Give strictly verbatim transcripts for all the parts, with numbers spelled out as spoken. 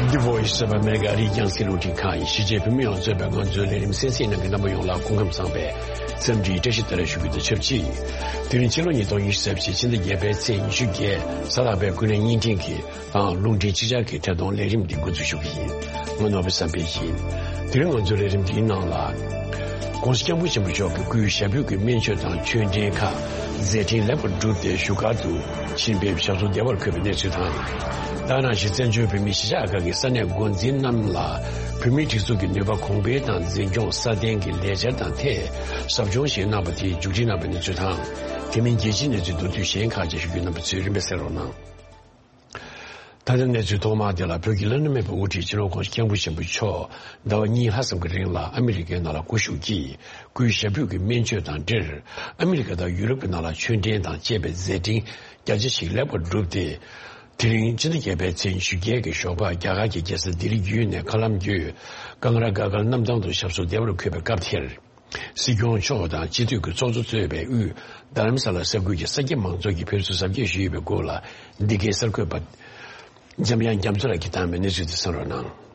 The Voice of America ཨ་རིའི་རྒྱང་སྲིང་རླུང་འཕྲིན་ཁང་ཡིན། གཞིས་བྱེས་བོད་མི་ཡོངས་གཙོས་པའི་ང་ཚོའི་ལས་རིམ་གསན་གཟིགས་གནང་མཁན་རྣམ་པ་ཡོངས་ལ་སྐུ་ཁམས་བཟང་བའི་འཚམས་འདྲིའི་བཀྲ་ཤིས་བདེ་ལེགས་ཞུ་རྒྱུ་དང་ཆབས་ཅིག་དེ་རིང་ཕྱི་ལོ་ཉིས་སྟོང་ཉི་ཤུ་རྩ་བཞི་ཕྱི་ཟླ་བརྒྱད་པའི་ཚེས་ཉི་ཤུ་བརྒྱད་གཟའ་ལྷག་པའི་ཀུན་གླེང་བརྙན་འཕྲིན་གྱི་དང་རླུང་འཕྲིན་ཅིག་ཅར་གྱི་ཐད་གཏོང་ལས་རིམ་འདི་འགོ་འཛུགས་ཞུ་གི་ཡིན། ང་ནོར་བུ་བསམ་འཕེལ་ཡིན། དེ་རིང་ང་ཚོའི་ལས་རིམ་འདིའི་ནང་ལ། ༸གོང་ས་༸སྐྱབས་མགོན་ཆེན་པོ་མཆོག་གི་སྐུའི་ཞབས་པུས་ཀྱི་སྨན་བཅོས་དང་ཆོས་འབྲེལ་ཁག་མཛད་འཕྲིན་ལེགས་པར་གྲུབ་སྟེ་བཞུགས་སྒར་དུ་ཕྱིན་པའི་ཞབས་སོར་བདེ་བར་འཁོད་པའི་གནས་ཚུལ་དང་། ད་ག་ནང་བཞིན་བཙན་བྱོལ་བོད་མིའི་གཞིས་ཆགས་ཁག་གི་ས་གནས་འགོ་འཛིན་རྣམས་ལ་བོད་མིའི་སྒྲིག་འཛུགས་ཀྱི་ནུས་པ་གོང་འཕེལ་དང་འཛིན་སྐྱོང་སྲ་བརྟན་གྱི་ལས་འཆར་དང་ཐད་ཟབ་སྦྱོང་ཞིག་གནང་བ་དེ་མཇུག་སྒྲིལ་གནང་བའི་གནས་ཚུལ་དང་། དེ་མིན་རྒྱལ་སྤྱིའི་གནས་ཚུལ་མདོར་བསྡུས་གཞན་ཁག་ཅིག་ཞུ་རྒྱུ། རྣམ་པ་ཚོས་རིམ་པས་གསན་རོགས་གནང་། ད་ལྟ་གནས་ཚུལ་ཐོག་མ་དེ་ལ། བོད་ཀྱི་བླ་ན་མེད་པའི་དབུ་ཁྲིད་སྤྱི་ནོར་༸གོང་ས་༸སྐྱབས་མགོན་ཆེན་པོ་མཆོག་ཟླ་བ་གཉིས་ལྷག་ཙམ་གྱི་རིང་ལ་ཨ་མི་རི་ཀའི་ནང་ལ་སྐུ་བཞུགས་ཀྱིས་སྐུའི་ཞབས་པུས་ཀྱི་སྨན་བཅོས་དང་འབྲེལ། ཨ་མི་རི་ཀ་དང་ཡུ་རོབ་ཀྱི་ནང་ལ་ཆོས་འབྲེལ་དང་བཅས་པའི་མཛད་འཕྲིན་རྒྱ་ཆེ་ཞིག་ལེགས་པར་གྲུབ་སྟེ། དེ་རིང་ཕྱི་ཟླ་བརྒྱད་པའི་ཚེས་ཉི་ཤུ་བརྒྱད་ཀྱི་ཞོགས་པ་རྒྱ་གར་གྱི་རྒྱལ་ས་ལྡི་ལི་བརྒྱུད་ནས་མཁའ་ལམ་བརྒྱུད་ཀང་ར་ག་གར་གནམ་ཐང་དུ་ཞབས་སོར་བདེ་བར་འཁོད་པའི་སྐབས་དེར། སྲིད་སྐྱོང་མཆོག་དང་སྤྱི་འཐུས་ཀྱི་ཚོགས་གཙོ་གཙོས་པའི་དབུས་རྡ་རམ་ས་ལ་ས་ཁུལ་གྱི་ས་སྐྱ་མང་ཚོགས་ཀྱིས་ཕེབས་བསུ་གཟབ་རྒྱས་ཞུས་ཡོད་པའི་སྐོར་ལ། འདི་གའི་གསར་འགོད་པ་འཇམ་དབྱངས་རྒྱ་མཚོ་ལགས་ཀྱིས་བཏང་བའི་གནས་ཚུལ་དེ་གསན་རོགས་གནང་།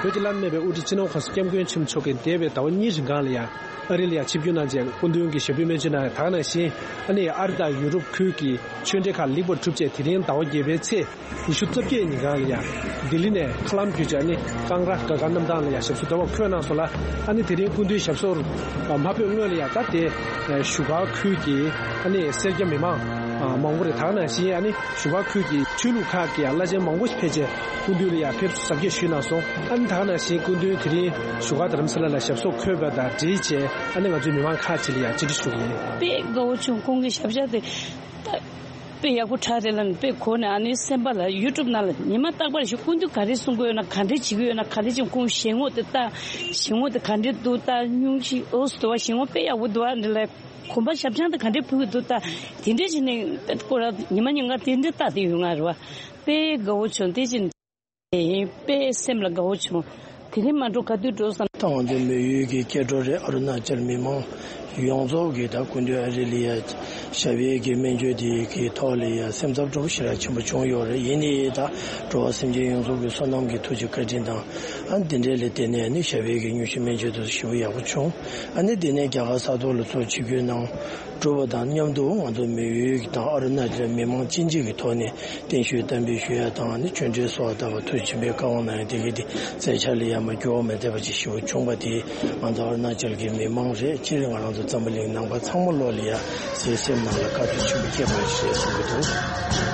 བོད་ཀྱི་བླ་ན་མེད་པའི་དབུ་ཁྲིད་སྤྱི་ནོར་༸གོང་ས་༸སྐྱབས་མགོན་ཆེན་པོ་མཆོག་གིས་འདས་པའི་ཟླ་བ་གཉིས་རིང་གང་ལ་ཡང་། ཨ་རི་ལ་ཡང་ཆིབས་བསྒྱུར་གནང་རྗེས་སྐུ་མདུན་གྱི་ཞབས་པུས་སྨན་བཅོས་གནང་ཡ། ད་ག་ནང་བཞིན་ཨ་ནི་ཨ་རི་དང་ཡུ་རོབ་ཁུལ་གྱི་ཆོས་འབྲེལ་ཁག་ལེགས་པར་གྲུབ་རྗེས། དེ་རིང་ཟླ་བ་བརྒྱད་པའི་ཚེས་ཉི་ཤུ་རྩ་བརྒྱད་ཉིན་གང་ལ་ཡང་ལྡི་ལི་ནས་མཁའ་ལམ་བརྒྱུད་བྱས་ཨ་ནི་ཀང་ར་ག་གར་གནམ་ཐང་ལ་ཡང་ཞབས་སོར་བདེ་བར་འཁོད་གནང་སོང་ལ། ཨ་ནི་དེ་རིང་སྐུ་མདུན་ཞབས་སོར་མ་ཕེབས་སྔོན་ལ་ཡང་ད་དེ་བཞུགས་སྒར་ཁུལ་གྱི་ཨ་ནི་སེར་སྐྱ་མི་མང་མང་པོ་རེད། ད་ག་ནང་བཞིན་ཨ་ནི་བཞུགས་སྒར་ཁུལ་གྱི་ཆོས་ལུགས་ཁག་གི་བླ་ཆེན་མང་པོ་ཞིག་ཕེབས་རྗེས་སྐུ་མདུན་ལ་ཡང་ཕེབས་བསུ་གཟབ་རྒྱས་ཞུས་གནང་སོང་། ཨ་ནི་ད་ག་ནང་བཞིན་སྐུ་མདུན་དེ་རིང་བཞུགས་སྒར་རྡ་རམ་ས་ལ་ལ་ཞབས་སོར་འཁོད་པ་དང་འབྲེལ་བྱས། ཨ་ནི་ང་ཚོའི་མི་མང་ཁག་ཅིག་ལ་ཡང་བཅར་འདྲི་ཞུ་གི་ཡིན། དཔེ་དགའ་བོ་བྱུང་། ཁོང་གི་ཞབས་བཅགས་དེ་ད་དཔེ་ཡག་པོ་དྲག་རེད་ལབ་ནས་དཔེ་གོ་ནས། ཨ་ནི་སེམས་པ་ལ་ཡུ་ཊུབ་ནང་ལ་ཉི་མ་རྟག་པར་ཞིག་སྐུ་མདུན་ག་རེ་གསུང་གི་ཡོད་ན། ག་འདྲས་བྱེད་ཀྱི་ཡོད་ན། ག་རེ་བྱས་ཁོང་ཞལ་ངོ་དེ་ལྟ། ཞལ་ངོ་དེ་ག་འདྲས་འདུག་ལྟ། སྙུང་གཞི་འོ་སི་དུ་བ། ཞལ་ངོ་དཔེ་ཡག་པོ་འདུག་ཨ་འདྲ་ལ། གོམ་པ་ཞབས་བཅགས་དེ་ག་འདྲས་ཕུལ་གྱི་འདུག་ལྟ། དེ་འདྲས་བྱས་ནས་དཔེ་ཁོ་རང་ཉི་མ་ཉིན་གང་དེ་འདྲས་ལྟ་དེ་ཡོད་ང་རེད་བ། དཔེ་དགའ་བོ་བྱུང་། དེ་བཞིན་དཔེ་སེམས་ལ་དགའ་བོ་བྱུང་། དེ་རིང་མ་འགྲོ་ག་དུས་འགྲོ་བསམ། ད་ང་ཚོ་མོན་ཡུལ་གྱི་སྐྱེ་འགྲོ་རེད། ཨ་རུ་ན་ཅལ་མི་མང་ཡོངས་རྫོགས་ཀྱིས་ད་སྐུ་མདུན་ཨ་རི་ལ་ཡ་ཞབས་པད་ཀྱི་སྨན་བཅོས་དེ་གི་ཐོག་ལ་ཡ་སེམས་འཚབ་སྤྲོ་པོ་ཞེ་དྲག་ཆེན་པོ་བྱུང་ཡོད་རེད། ཡིན་ནའི་ད་འགྲོ་བ་སེམས་ཅན་ཡོངས་རྫོགས་ཀྱི་བསོད་ནམས་ཀྱི་ཐུགས་རྗེ་བཀའ་དྲིན་དང་། ཨ་འདི་འདྲའི་ལས་དེ་ནས་ནི་ཞབས་པད་ཀྱི་སྙུང་གཞི་སྨན་བཅོས་དེ་ཞེ་པོ་ཡག་པོ་བྱུང་། ཨ་ནི་འདི་ནས་རྒྱ་གར་ས་ཐོག་ལ་ཚུར་ཆིབས་བསྒྱུར་གནང་། གྲུབ་པ་དང་མཉམ་དུ་ང་ཚོ་མོན་ཡུལ་དང་ཨ་རུ་ན་ཅལ་མི་མང་གཅིག་གཅིག་གི་ཐོག་ནས་བརྟན་བཞུགས་གཏན་འབེབས་ཞུ་ཡ་དང་། ཨ་ནི་ཆོས་འབྲེལ་སོགས་ལྟ་བུ་ཐུགས་ཆེན་པོའི་བཀའ་དབང་གནང་ཡ་དེ་གའི་དེ་མཛད་འཆར་ལ་ཡ་མ་འགྱུར་བ་མེད་བསྡད་པ་ཅིག་ཞེ་པོ་བྱུང་བ་དེ་ང་ཚོ་ཨ་རུ་ན་ཅལ་གྱི་མི་མང་རེད། སྤྱིར་ང་རང་ཚོ་འཛམ་བུ་གླིང་ནང་པ་ཚང་མ་ལོག་ལ་ཡ་སེམས་ནང་ལ་དགའ་སྤྲོ་ཆེན་པོ་སྐྱེས་པ་ཞིག་རེད་བསམ་གྱི་འདུག་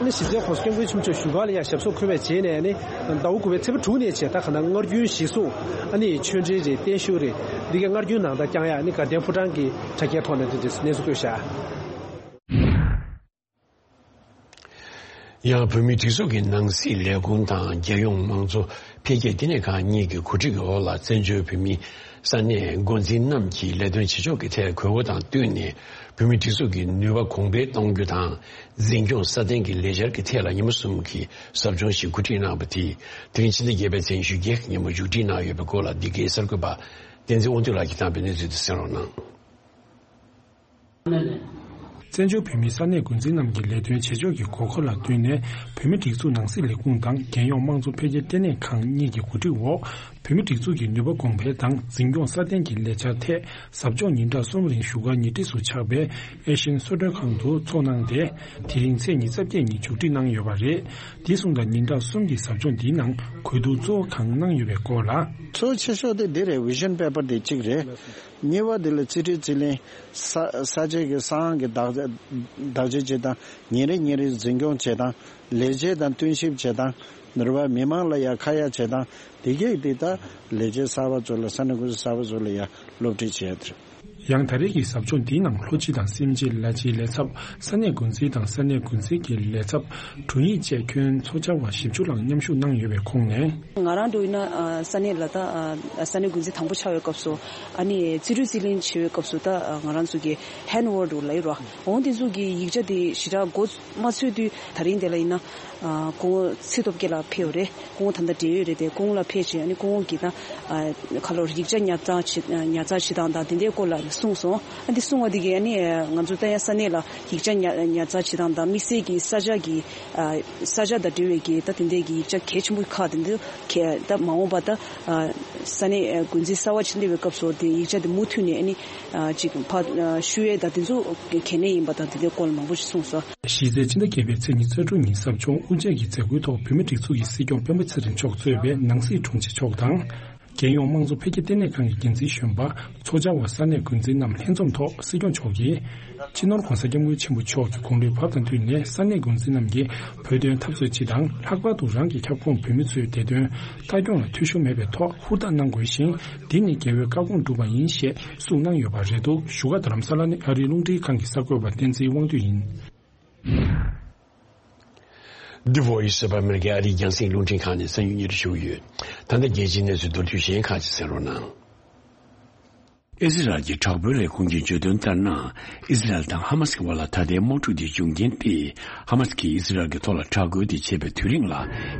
ཨ་ནི་གཞི་རྩའི་༸གོང་ས་༸སྐྱབས་མགོན་ཆེན་པོ་མཆོག་བཞུགས་སྒར་ལ་ཡང་ཞབས་སོར་འཁོད་པའི་རྗེས་ནས། ཨ་ནི་ཟླ་བ་དགུ་པའི་ཚེས་པ་དྲུག་ནས་བྱས། ད་ག་ནང་སྔར་རྒྱུན་གཞིར་བཟུང་ཨ་ནི་ཆོས་འབྲེལ་རེད། བརྟན་བཞུགས་རེད། འདི་གའི་སྔར་རྒྱུན་ནང་ལྟར་བསྐྱངས་ཡ། ཨ་ནི་དགའ་ལྡན་ཕོ་བྲང་གི་དྲ་རྒྱའི་ཐོག་ནས་འདི་འདྲའི་གནས་ཚུལ་བཀོད་བཞག་ཡང་བོད་མིའི་སྒྲིག་འཛུགས་ཀྱི་ནང་སྲིད་ལས་ཁུངས་དང་རྒྱལ་ཡོངས་དམངས་གཙོ་འཕེལ་རྒྱས་ལྟེ་གནས་ཁང་གཉིས་ཀྱི་གོ་སྒྲིག་འོག་ལ། བཙན་བྱོལ་བོད་མིའི་ས་གནས་འགོ་འཛིན་རྣམས་ཀྱིས་ལས་དོན་བྱེད་ཕྱོགས་ཀྱི་ཐད་དགོས་མཁོ་དང་བསྟུན་ནས། བོད་མིའི་སྒྲིག་འཛུགས་ཀྱི་ནུས་པ་གོང་འཕེལ་གཏོང་རྒྱུ་དང་། འཛིན་སྐྱོང་སྲ་བརྟན་གྱི་ལས་འཆར་གྱི་ཐད་ལ་ཉིན་མོ་གསུམ་གྱི་ཟབ་སྦྱོང་ཞིག་གོ་སྒྲིག་གནང་བ་དེ། དེ་རིང་ཕྱི་ཟླ་བརྒྱད་པའི་ཚེས་ཉི་ཤུ་བརྒྱད་ཉིན་མོ་མཇུག་སྒྲིལ་གནང་ཡོད་པའི་སྐོར་ལ། འདི་གའི་གསར་འགོད་པ་བསྟན་འཛིན་དབང་འདུས་ལགས་ཀྱིས་བཏང་བའི་གནས་ཚུལ་དེ་གསན་རོགས་གནང་། བཙན་བྱོལ་བོད་མིའི་ས་གནས་འགོ་འཛིན་རྣམས་ཀྱི་ལས་དོན་བྱེད་ཕྱོགས་ཀྱི་དགོས་མཁོ་ལ་བསྟུན་ནས། བོད་མིའི་སྒྲིག་འཛུགས་ནང་སྲིད་ལས་ཁུངས་དང་རྒྱལ་ཡོངས་དམངས་གཙོ་འཕེལ་རྒྱས་ལྟེ་གནས་ཁང་གཉིས་ཀྱི་གོ་སྒྲིག་འོག་བོད་མིའི་སྒྲིག་འཛུགས་ཀྱི་ནུས་པ་གོང་འཕེལ་དང་འཛིན་སྐྱོང་སྲ་བརྟན་གྱི་ལས་འཆར་ཐད་ཟབ་སྦྱོང་ཉིན་གྲངས་གསུམ་རིང་བཞུགས་སྒར་ཉེ་འཁྲིས་སུ་ཆགས་པའི་ཨེ་ཤི་ཡན་གསོལ་མགྲོན་ཁང་དུ་ཚོགས་གནང་སྟེ། དེ་རིང་ཚེས་ཉི་ཤུ་རྩ་བརྒྱད་ཉིན་མཇུག་སྒྲིལ་གནང་ཡོད་པ་རེད། དེ་སོང་ཙང་ཉིན་གྲངས་གསུམ་གྱི་ཟབ་སྦྱོང་འདིའི་ནང་གོ་བསྡུར་གཙོ་བོ་གང་གནང་ཡོད་པའི་སྐོར་ལ། གཙོ་ཆེ་ཤོས་དེ་འདི་རེད། ཝི་ཤན་པེ་པར་དེ་གཅིག་རེད། གཉིས་པ་དེ་ལ་རྩིས་ཁྲའི་རྩིས་ལེན། ས་ས་ཆའི་གི་ས་ཨང་གི་བདག་བདག་གཅེས་བྱེད་སྟངས། ཉིན་རེ་ཉིན་རེ་འཛིན་སྐྱོང་བྱེད་སྟངས། ལས་བྱེད་དང་བསྟུན་ཞིབ་བྱེད་སྟངས། ནུར་བ་མི་མང་ལ་ཡ་ཁ་ཡ་བྱེད་སྟངས། དེ་གས་དེ་ད་ལས་བྱེད་གསར་པ་ཚོ་ལ། ས་གནས་འགོ་འཛིན་གསར་པ་ཚོ་ལ་ཡ་སློབ་ཁྲིད་བྱེད་ཡ་དེ་རེད། ཡང་ད་རེས་ཀྱི་ཟབ་སྦྱོང་འདིའི་ནང་ལྷོ་སྤྱི་དང་སེམས་ཅན་ལ་སྤྱིའི་ལས་ཚབ། ས་གནས་འགོ་འཛིན་དང་ས་གནས་འགོ་འཛིན་གྱི་ལས་ཚབ། དྲུང་ཡིག་བཅས་ཁྱོན་ཚོགས་བཅར་བ་བཞི་བཅུ་ལྷག་མཉམ་ཞུགས་གནང་ཡོད་པའི་ཁོངས་ནས། ང་རང་འདྲ་ཡིན་ན་ཨ་ས་གནས་ལ་ད་ཨ་ས་གནས་འགོ་འཛིན་དང་པོ་ཆགས་པའི་སྐབས་སུ། ཨ་ནི་རྩིས་སྤྲོད་རྩིས་ལེན་བྱེད་པའི་སྐབས་སུ་ད་ཨ་ང་རང་ཚོ་གི་ཧན་ཝར་ཌི་ལབ་ཡོད་ར། འོང་དེ་ཚོ་གི་ཡིག་ཆ་དེ་ཞེ་དྲག་འགོ་མ་ཚུགས་དུས། ད་རིང་དེ་ལ་ཡིན་ན་ཨ་སྐུ་ངོ་ཚེ་སྟོབས་རྒྱལ་ལགས་ཕེབས་ཡོད་རེད། སྐུ་ངོ་ད་ལྟ་བགྲེས་ཡོད་རེད་དེ། སྐུ་ངོ་ལ་ཕེབས་བྱས། ཨ་ནི་སྐུ་ངོ་གིས་ད་ཨ་ཁ་ལོར་ཡིག་ཆ་ཉར་ཚགས་བྱེད་ཉར་ཚགས་བྱེད་སྟངས་དང་དེ་འདྲའི་སྐོར་ལ་གསུངས་སོང་། ཨ་འདི་གསུང་བ་འདི་གིས་ཨ་ནི་ང་ཚོ་ད་ཡང་ས་གནས་ལ་ཡིག་ཆ་ཉར་ཉར་ཚགས་བྱེད་སྟངས་དང་དམིགས་བསལ་གྱི་ས་ཆ་གི་ཨ་ས་ཆ་དང་འབྲེལ་བའི་གི་ད་དེ་འདྲའི་གི་ཡིག་ཆ་གལ་ཆེན་པོ་ཁག་དེ་འདི་གལ་ད་མ་འོངས་པ་ད་ཨ་ས་གནས་ཨ་འགོ་འཛིན་གསར་བ་ཅིག་སླེབས་པའི་སྐབས་སུ་དེ་ཡིག་ཆ་དེ་མུ་མཐུད་ནས་ཨ་ནི་ཨ་ཅིག་ཕར་ཨ་ཞུ་ཡས་དང་དེ་ཚོ་གལ་གནད་ཡིན་པ་དང་དེ་འདྲའི་སྐོར་ལ་མང་པོ་ཞིག་གསུངས་སོང་། གཞི་རྩའི་ཕྱི་ཟླ་བརྒྱད་པའི་ཚེས་ཉི་ཤུ་རྩ་དྲུག་ཉིན་ཟབ་སྦྱོང་དབུ་འབྱེད་ཀྱི་མཛད་སྒོའི་ཐོག་བོད་མིའི་སྒྲིག་འཛུགས་ཀྱི་སྲིད་སྐྱོང་སྤེན་པ་ཚེ་རིང་མཆོག་གཙོས་པའི་ནང་སྲིད་དྲུང་ཆེ་མཆོག་དང་། རྒྱལ་ཡོངས་དམངས་གཙོ་འཕེལ་རྒྱས་ལྟེ་གནས་ཁང་གི་འགན་འཛིན་གཞོན་པ། ཚོགས་བཅར་བ་ས་གནས་འགོ་འཛིན་རྣམས་ལྷན་འཛོམས་ཐོག་སྲིད་སྐྱོང་མཆོག་གིས། སྤྱི་ནོར་༧གོང་ས་༧སྐྱབས་མགོན་ཆེན་པོ་མཆོག་གི་དགུང་ལོའི་བབ་དང་བསྟུན་ནས་ས་གནས་འགོ་འཛིན་རྣམས་ཀྱིས་བོད་དོན་འཐབ་རྩོད་སྤྱི་དང་། ལྷག་པར་དུ་རང་གི་ཁྱབ་ཁོངས་བོད་མི་ཚོའི་བདེ་དོན་ལྟ་སྐྱོང་ལ་འཐུས་ཤོར་མེད་པའི་ཐོག་ཧུར་ཐག་གནང་དགོས་ཤིང་། འདི་ནི་རྒྱལ་བའི་བཀའ་དགོངས་སྒྲུབ་པ་ཡིན་ཞེས་གསུངས་གནང་ཡོད་པ་རེད་འདུག་བཞུགས་སྒར་རྡ་རམ་ས་ལ་ནས་ཨ་རིའི་རླུང་འཕྲིན་ཁང་གི་གསར་འགོད་པ་བསྟན་འཛིན་དབང་འདུས་ཡིན། འདི་Voice of America ཨ་རིའི་རྒྱང་སྲིང་རླུང་འཕྲིན་ཁང་ནས་གསན་རྒྱུ་ཞུ་གི་ཡོད། ད་ལྟ་རྒྱལ་སྤྱིའི་གནས་ཚུལ་མདོར་བསྡུས་གཞན་ཁག་ཅིག་གསན་རོགས་གནང་། ཨི་ཟི་རལ་གྱི་དྲག་པོའི་ལས་ཁུངས་ཀྱིས་བརྗོད་དོན་ལྟར་ན། ཨི་ཟི་རལ་དང་ཧ་མ་སི་བར་ལ་ད་ལྟའི་དམག་འཁྲུག་དེ་འབྱུང་རྐྱེན་ཏེ། ཧ་མ་སི་ཀྱིས་ཨི་ཟི་རལ་གྱི་ཐོག་ལ་དྲག་རྒོལ་དེ་བྱས་པའི་དུས་རིང་ལ་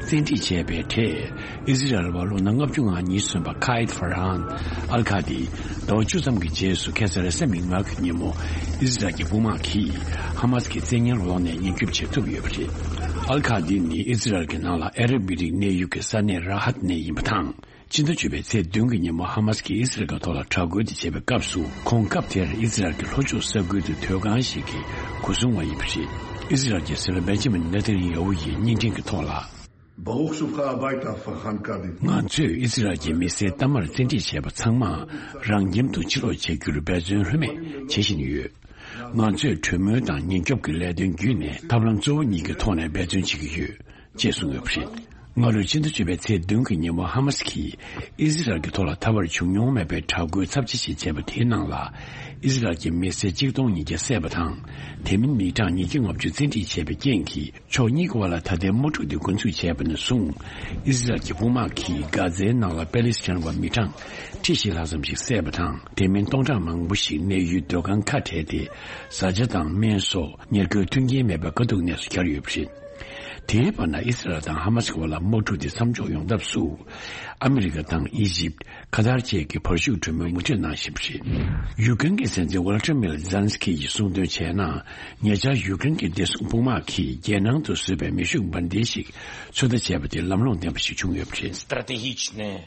བཙན་ཁྲིད་བྱས་པའི་གྲས། ཨི་ཟི་རལ་བ་ལོ་ན་ལྔ་བཅུ་ང་གཉིས་སོན་པ་ཁ་ཨེད་ཧྥ་རན་ཨལ་ཁ་དི། ཟླ་བ་བཅུ་ཙམ་གྱི་རྗེས་སུ་ཁ་སང་རེས་གཟའ་མིག་དམར་གྱི་ཉིན་མོ། ཨི་ཟི་རལ་གྱི་དཔུང་དམག་གིས་ཧ་མ་སི་ཀྱི་བཙན་ཉར་འོག་ནས་ཉེན་སྐྱོབ་བྱེད་ཐུབ་ཡོད་པ་རེད། ཨལ་ཁ་དི་ནི་ཨི་ཟི་རལ་གྱི་ནང་ལ་ཨ་རབ་མི་རིགས་གནས་ཡུལ་གྱི་ས་གནས་ར་ཧད་ནས་ཡིན་པ་དང་། ཕྱི་ཟླ་བཅུ་པའི་ཚེས་བདུན་གྱི་ཉིན་མོ་ཧ་མ་སི་ཀྱིས་ཨི་སི་རལ་གྱི་ཐོག་ལ་དྲག་རྒོལ་དེ་བྱས་པའི་སྐབས་སུ། ཁོང་སྐབས་དེར་ཨི་སི་རལ་གྱི་ལྷོ་ཕྱོགས་ས་ཁུལ་དུ་སྡོད་ཁང་ཞིག་གི་སྒོ་སྲུང་བ་ཡིན་པ་རེད། ཨི་སི་རལ་གྱི་སྲིད་བློན་བེན་ཇི་མིན་ནེ་ཐན་ཡ་ཧུ་ཡིས་བརྙན་འཕྲིན་གྱི་ཐོག་ལ། ברוך שובך הביתה, פרחן קאדי. ང་ཚོས་ཨི་སི་རལ་གྱི་མི་སེར་གཏའ་མར་བཙན་ཁྲིད་བྱས་པ་ཚང་མ་རང་ཁྱིམ་དུ་ཕྱིར་ལོག་བྱ་རྒྱུར་འབད་བརྩོན་ལྷོད་མེད་བྱེད་བཞིན་ཡོད། ང་ཚོས་གྲོས་མོལ་དང་ཉེན་སྐྱོབ་ཀྱི་ལས་དོན་བརྒྱུད་ནས་ཐབས་ལམ་གཙོ་བོ་གཉིས་ཀྱི་ཐོག་ནས་འབད་བརྩོན་བྱེད་ཀྱི་ཡོད། ཅེས་གསུངས་ཡོད་པ་རེད། སྔ་ལོའི་ཕྱི་ཟླ་བཅུ་པའི་ཚེས་བདུན་གྱི་ཉིན་མོ་ཧ་མ་སི་ཀྱིས་ཨི་སི་རལ་གྱི་ཐོག་ལ་ད་བར་བྱུང་མྱོང་མེད་པའི་དྲག་རྒོལ་ཚབས་ཆེ་ཞིག་བྱས་པ་དེའི་ནང་ལ། ཨི་སི་རལ་གྱི་མི་སེར་གཅིག་སྟོང་ཉིས་བརྒྱ་བསད་པ་དང་། དེ་མིན་མི་གྲངས་ཉིས་བརྒྱ་ལྔ་བཅུ་བཙན་ཁྲིད་བྱས་པའི་རྐྱེན་གྱིས། ཕྱོགས་གཉིས་ཀྱི་བར་ལ་ད་ལྟའི་དམག་འཁྲུག་འདི་འགོ་འཛུགས་བྱས་པ་ནས་བཟུང་། ཨི་སི་རལ་གྱི་དཔུང་དམག་གིས་གྷ་ཛའི་ནང་ལ་པེ་ལི་སི་ཐན་པ་མི་གྲངས་ཁྲི་བཞི་ལྷག་ཙམ་ཞིག་བསད་པ་དང་། དེ་མིན་སྟོང་ཕྲག་མང་པོ་ཞིག་གནས་ཡུལ་སྡོད་ཁང་ཁ་བྲལ་ཏེ། བཟའ་བཅའ་དང་སྨན་སོགས་ཉེར་མཁོའི་མཐུན་རྐྱེན་མེད་པའི་དཀའ་སྡུག་གནས་སུ་གྱར་ཡོད་པ་རེད། དེའི་བར་ན་ཨི་སི་རལ་དང་ཧ་མ་སི་བར་ལ་དམག་འཁྲུག་དེ་མཚམས་འཇོག་ཡོང་ཐབས་སུ། ཨ་མི་རི་ཀ་དང་ཨི་ཇིབ། ཁ་ཐར་བཅས་ཀྱིས་བར་ཞུགས་གྲོས་མོལ་མུ་མཐུད་གནང་བཞིན་པ་རེད། ཡུ་ཀེན་གྱི་སྲིད་འཛིན་ཝོ་ལ་ཏི་མིར་ཛེ་ལན་སི་ཀི་ཡིས་གསུངས་དོན་བྱས་ན། ཉེ་ཆར་ཡུ་ཀེན་གྱི་བདེ་སྲུང་དཔུང་དམག་གིས་རྒྱལ་ནང་དུ་བཟོས་པའི་མེ་ཤུགས་འབར་མདེལ་ཞིག་ཚོད་ལྟ་བྱས་པ་དེ་ལམ་ལྷོང་ལྡན་པ་ཞིག་བྱུང་ཡོད་པ་རེད། Стратегичная.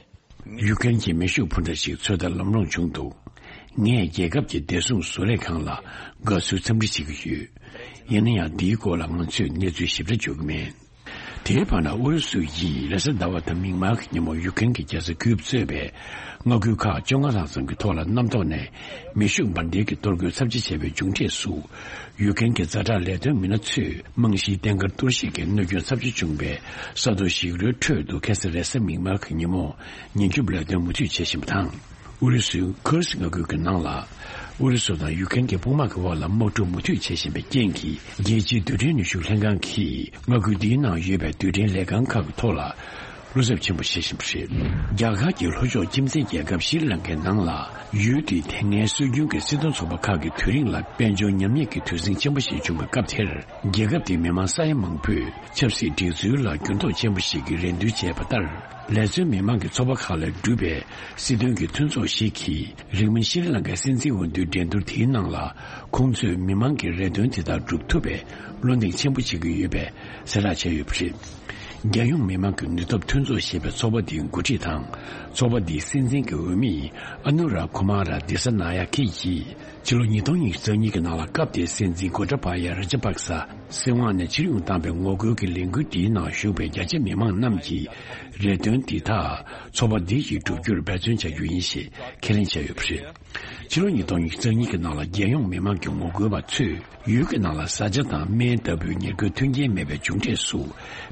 ཡུ་ཀེན་གྱི་མེ་ཤུགས་འཕུར་མདའ་ཞིག་ཚོད་ལྟ་ལམ་ལྷོང་བྱུང་འདུག་ངས་རྒྱལ་ཁབ་ཀྱི་བདེ་སྲུང་བཟོ་ལས་ཁང་ལ་དགའ་བསུའི་འཚམས་འདྲི་བྱེད་ཀྱི་ཡོད། ཡིན་ན་ཡང་འདིའི་སྐོར་ལ་ང་ཚོས་གནས་ཚུལ་ཞིབ་ཕྲ་འཇོག་གི་མེད། དེའི་བར་ན་ཨུ་རུ་སུ་ཡིས་རེས་གཟའ་ཟླ་བ་དང་མིག་དམར་གྱི་ཉིན་མོ་ཡུ་ཀེན་གྱི་རྒྱལ་ས་ཀིབ་གཙོས་པའི་མངའ་ཁུལ་ཁག་བཅོ་ལྔ་ལྷག་ཙམ་གྱི་ཐོག་ལ་གནམ་ཐོག་ནས་མེ་ཤུགས་འབར་མདེལ་གྱི་གཏོར་རྒོལ་ཚབས་ཆེ་བྱས་པའི་མཇུག་འབྲས་སུ། ཡུ་ཀེན་གྱི་ཛ་དྲག་ལས་དོན་མི་སྣ་ཚོས་རྨང་གཞིའི་རྟེན་མཁར་གཏོར་བཤིག་གིས་གནོད་སྐྱོན་ཚབས་ཆེ་བྱུང་བའི་ས་རྡོ་ཞིག་རོའི་ཁྲོད་དུ་ཁ་སང་རེས་གཟའ་མིག་དམར་གྱི་ཉིན་མོ་ཉེན་སྐྱོབ་ལས་དོན་མུ་མཐུད་བྱེད་བཞིན་པ་དང་། ཨུ་རུ་སུའི་ཁུར་སི་མངའ་ཁུལ་གྱི་ནང་ལ། ཨུ་རུ་སུ་དང་ཡུ་ཀེན་གྱི་དཔུང་དམག་གི་དབར་ལ་དམག་འཁྲུག་མུ་མཐུད་བྱེད་བཞིན་པའི་རྐྱེན་གྱིས། རྒྱལ་སྤྱིའི་རྡུལ་ཕྲན་ནུས་ཤུགས་ལྷན་ཁང་གིས་མངའ་ཁུལ་འདིའི་ནང་ཡོད་པའི་རྡུལ་ཕྲན་ལས་ཁང་ཁག་གི་ཐོག་ལ་བློ་འཚབ་ཆེན་པོ་བྱེད་བཞིན་པ་རེད། རྒྱ་གར་གྱི་ལྷོ་ཕྱོགས་ཁྱིམ་མཚེས་རྒྱལ་ཁབ་ཤྲི་ལང་ཀའི་ནང་ལ། ཡུལ་དེའི་དེ་སྔའི་སྲོལ་རྒྱུན་གྱི་སྲིད་དོན་ཚོགས་པ་ཁག་གི་དུས་རིང་ལ་དཔལ་འབྱོར་ཉམས་ཉེས་ཀྱི་དུས་ཟིང་ཆེན་པོ་ཞིག་བྱུང་བའི་སྐབས་དེར། རྒྱལ་ཁབ་དེའི་མི་མང་ས་ཡ་མང་པོས་ཆབ་སྲིད་སྒྲིག་འཛུགས་ལ་འགྱུར་ལྡོག་ཆེན་པོ་ཞིག་གི་རེ་འདུན་བྱས་པ་ལྟར། ལེ་ཚན་མི་མང་གི་ཚོགས་པ་ཁག་ལས་གྲུབ་པའི་སྲིད་དོན་གྱི་མཐུན་ཚོགས་ཤིག་གིས། རིང་མིན་ཤྲི་ལང་ཀའི་སྲིད་འཛིན་འོས་བསྡུའི་འགྲན་བསྡུར་དེའི་ནང་ལ། ཁོང་ཚོས་མི་མང་གི་རེ་འདུན་དེ་དག་སྒྲུབ་ཐུབ་པའི་བློ་འདེགས་ཆེན་པོ་བྱེད་ཀྱི་ཡོད་པའི་གསལ་བསྒྲགས་བྱས་ཡོད་པ་རེད། རྒྱལ་ཡོངས་མི་མང་གི་ནུས་སྟོབས་མཐུན་ཚོགས་ཞེས་པའི་ཚོགས་པ་འདིའི་འགོ་ཁྲིད་དང་། ཚོགས་པ་འདིའི་སྲིད་འཛིན་གྱི་འོས་མི་ཨ་ནུ་ར་ཁུ་མ་ར་དི་ས་ན་ཡ་ཁེ་ཡིས། ཕྱི་ལོ་ཉིས་སྟོང་ཉི་ཤུ་རྩ་གཉིས་ཀྱི་ནང་ལ་སྐབས་དེའི་སྲིད་འཛིན་གོ་ཏྲ་བ་ཡ་ར་ཇ་པག་ས་སྲིད་དབང་ནས་ཕྱིར་ཡོང་བཏང་བའི་ངོ་རྒོལ་གྱི་ལས་འགུལ་འདིའི་ནང་ཞུགས་པའི་རྒྱ་ཆེ་མི་མང་རྣམས་ཀྱིས་རེ་འདུན་འདི་དག་ཚོགས་པ་འདི་ཡིས་བསྒྲུབ་རྒྱུར་འབད་བརྩོན་བྱ་རྒྱུ་ཡིན་ཞེས་ཁས་ལེན་བྱས་ཡོད་པ་རེད། ཕྱི་ལོ་ཉིས་སྟོང་ཉི་ཤུ་རྩ་གཉིས་ཀྱི་ནང་ལ་རྒྱལ་ཡོངས་མི་མང་གི་ངོ་རྒོལ་བ་ཚོས་ཡུལ་གྱི་ནང་ལ་བཟའ་བཅའ་དང་སྨན་ལྟ་བུའི་ཉེར་མཁོའི་མཐུན་རྐྱེན་མེད་པའི་མཇུག་འབྲས་སུ།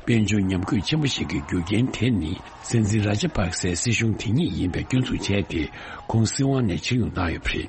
དཔལ་འབྱོར་ཉམས་རྒུད་ཆེན་པོ་ཞིག་གི་རྒྱུ་རྐྱེན་དེ་ནི་སྲིད་འཛིན་ར་ཇ་པག་སའི་སྲིད་གཞུང་དེ་ཉིད་ཡིན་པའི་སྐྱོན་འཛུགས་བྱས་ཏེ། ཁོང་སྲིད་དབང་ནས་ཕྱིར་ཡོང་བཏང་ཡོད་པ་རེད།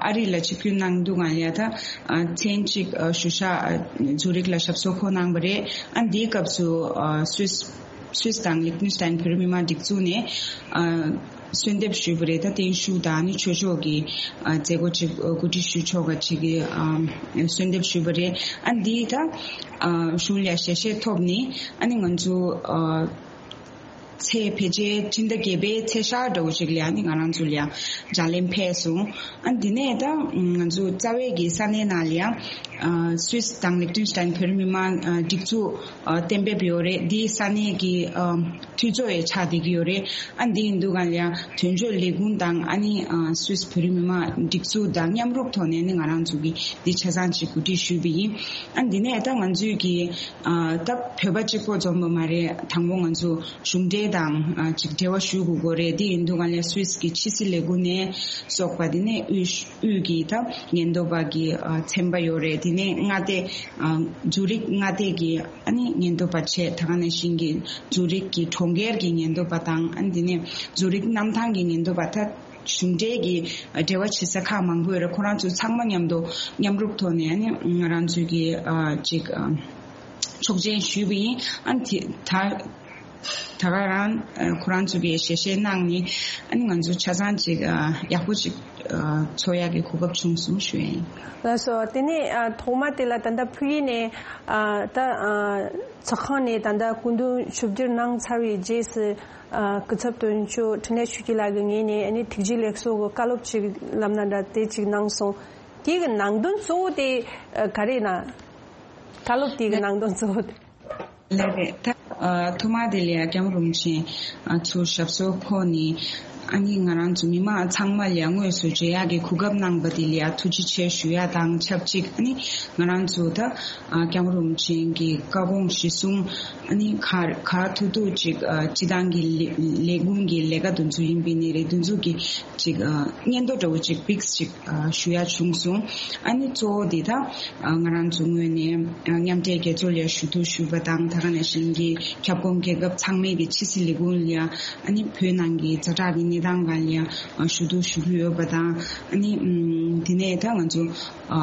ཨ་རི་ལ་ཆིབས་བསྒྱུར་གནང་དུས་ང་ལ་ཡ་ད་ཨ་མཚན་གཅིག་ཨ་བཞུགས་ཤག་ཨ་ཛུ་རིག་ལ་ཞབས་སོར་འཁོད་གནང་བ་རེད། ཨ་འདིའི་སྐབས་སུ་ཨ་སུད་སུད་དང་ལིག་ཏེན་སི་ཏན་བོད་རིགས་མི་མང་སྒྲིག་འཛུགས་ནས་ཨ། གསོལ་འདེབས་ཞུས་པ་རེད། ད་བརྟན་བཞུགས་དང་ནི་ཆོས་ཕྱོགས་ཀྱི་ཨ་མཛད་སྒོ་ཅིག་ཨ་གོ་སྒྲིག་ཞུ་ཆོག་པ་ཅིག་གི་ཨ་གསོལ་འདེབས་ཞུས་པ་རེད། ཨ་འདི་ད་ཨ་གཞུང་ལ་ཞལ་བཞེས་ཐོབ་ནི་ཨ་ནི་ང་ཚོ་ཨ་ཚེས་ཕལ་ཆེར་སྤྱི་ཟླ་བརྒྱད་པའི་ཚེས་ཤར་འདྲ་བོ་ཅིག་ལ་ཨ་ནི་ང་རང་ཚོ་ལ་ཡང་ལྗགས་ལན་ཕེབས་སོང་། ཨ་འདི་ནས་ད་ང་ཚོ་རྩ་བའི་གི་ས་གནས་ནང་ལ་ཡང་ཨ་སུད་སི་དང་ལིག་ཏེན་སི་ཏན་བོད་རིགས་མི་མང་ཨ་སྒྲིག་འཛུགས་ཨ་གཏན་འབེབས་ཡོད་རེད། འདིའི་ས་གནས་ཀྱི་ཨ་འཐུས་ཚོགས་ཡང་ཆགས་བསྡད་ཀྱི་ཡོད་རེད། ཨ་འདི་ཡིན་དུས་གང་ལ་ཡང་དོན་གཅོད་ལས་ཁུངས་དང་ཨ་ནི་ཨ་སུད་སི་བོད་རིགས་མི་མང་སྒྲིག་འཛུགས་དང་མཉམ་རུབ་ཐོག་ནས་ནི་ང་རང་ཚོ་གིས་འདི་ཆ་ཚང་ཅིག་གོ་སྒྲིག་ཞུས་པ་ཡིན། ཨ་འདི་ནས་ད་ང་ཚོས་ཀྱི་ཨ་ད་བོད་པ་གཅིག་པོ་འཛོམས་པ་མ་རེད། དང་པོ་ང་ཚོ་གཞུང་འབྲེལ་དང་ཨ་ཅིག་འབྲེལ་བ་ཞུ་དགོས་ཀྱི་རེད། འདི་ཡིན་དུས་གང་ལ་སུད་སི་གི་ཕྱི་སྲིད་ལས་ཁུངས་ནས་སོགས་པ་འདི་ནས་དབུས་དབུས་ཀྱི་ད་ཉེན་རྟོག་པ་གི་ཨ་ཚན་པ་ཡོད་རེད། དེ་ནས་མངའ་སྡེ་ཨ་ཛུ་རིག་མངའ་སྡེ་གི་ཨ་ནི་ཉེན་རྟོག་པ་བྱས། ད་ག་ནང་བཞིན་གྱི་ཛུ་རིག་གི་གྲོང་ཁྱེར་གྱི་ཉེན་རྟོག་པ་དང་ཨ་ནི་དེ་ནས་ཛུ་རིག་གནམ་ཐང་གི་ཉེན་རྟོག་པ། ད་གཞུང་འབྲེལ་གྱི་འབྲེལ་བ་བྱེད་ས་ཁག་མང་པོ་ཡོད་རེད། ཁོ་རང་ཚོ་ཚང་མ་མཉམ་དུ་མཉམ་རུབ་ཐོག་ནས་ཨ་ནི་ང་རང་ཚོའི་གི་ཨ་ཅིག་ཨ་ཆོག་མཆན་ཞུས་པ་ཡིན། ཨ་ནི་དེ་ད་ད་ག་རང་ཨ་ཁོ་རང་ཚོ་གི་ཞལ་བཞེས་གནང་ནས་ཨ་ནི་ང་ཚོ་ཆ་ཚང་ཅིག་ཨ་ཡག་པོ་ཅིག་ཨ་འཚོགས་ཡག་གི་གོ་སྐབས་བྱུང་སོང་ཞུ་ཡ་ཡིན། ལགས་སོ། དེ་ནས་ཨ་ཐོག་མ་དེ་ལ་ད་ལྟ་ཕུ་ཡི་ནས་ཨ་ད་ཨ་ཚོགས་ཁང་ནས་ད་ལྟ་སྐུ་མདུན་ཆིབས་བསྒྱུར་གནང་ཚར་བའི་རྗེས་སུ་ཨ་སྐུ་ཚབ་དོན་གཅོད་འཕྲིན་ལས་ཆོས་སྐྱིད་ལགས་ཀྱི་ངོས་ནས་ཨ་ནི་ཐུགས་རྗེ་ལེགས་གསོལ་གྱི་བཀའ་སློབ་ཅིག་ལབ་ན་འདྲ་དེ་ཅིག་གནང་སོང་། དེ་གི་ནང་དོན་གཙོ་བོ་དེ་ཨ་ག་རེ་ན། བཀའ་སློབ་དེ་གི་ནང་དོན་གཙོ་བོ་དེ། ལགས་རེད། ད་ཨ་ཐོག་མ་དེ་ལ་ཡ་སྐྱབས་མགོན་རིན་པོ་ཆེ་ཨ་ཚུར་ཞབས་སོར་འཁོད་ནས་ཨ་ནི་ང་རང་ཚོ་མི་མང་ཚང་མ་ལ་ཡ་དངོས་སུ་མཇལ་ཡག་གི་གོ་སྐབས་གནང་པ་དེ་ལ་ཡ་ཐུགས་རྗེ་ཆེ་ཞུ་ཡ་དང་ཆབས་ཅིག་ཨ་ནི་ང་རང་ཚོ་ད་ཨ་སྐྱབས་མགོན་རིན་པོ་ཆེ་གི་བཀའ་དགོངས་གཞིར་བཟུང་ཨ་ནི་ག་ག་ཐུབ་ཐུབ་ཅིག་ཨ་སྤྱི་བཏང་གི་ལས་ལས་ཁུངས་ཀྱི་ལས་ཀ་དེ་ཚོ་ཡིན་པའི་ནི་རེད། དེ་ཚོ་གི་ཅིག་ཨ་སྙན་ཐོ་འདྲ་བོ་ཅིག་པིགས་ཅིག་ཨ་ཞུ་ཡ་བྱུང་སོང་། ཨ་ནི་གཙོ་བོ་འདི་དག་ཨ་ང་རང་ཚོ་ངོས་ནས་ཨ་མཉམ་འབྲེལ་རྒྱལ་ཚོགས་ལ་ཞུ་གཏུག་ཞུས་པ་དང་། ད་ག་ནང་བཞིན་གྱི་ཁྱབ་ཁོངས་རྒྱལ་ཁབ་ཚང་མའི་གི་ཕྱི་སྲིད་ལས་ཁུངས་ལ་ཨ་ནི་བོད་ནང་གི་ཛ་དྲག་གི་གནས་སྟངས་སྒང་ལ་ཨ་ཞུ་གཏུག་ཞུ་གི་ཡོད་པ་དང་། ཨ་ནི་ཨམ་དེ་ནས་ད་ང་ཚོ་ཨ་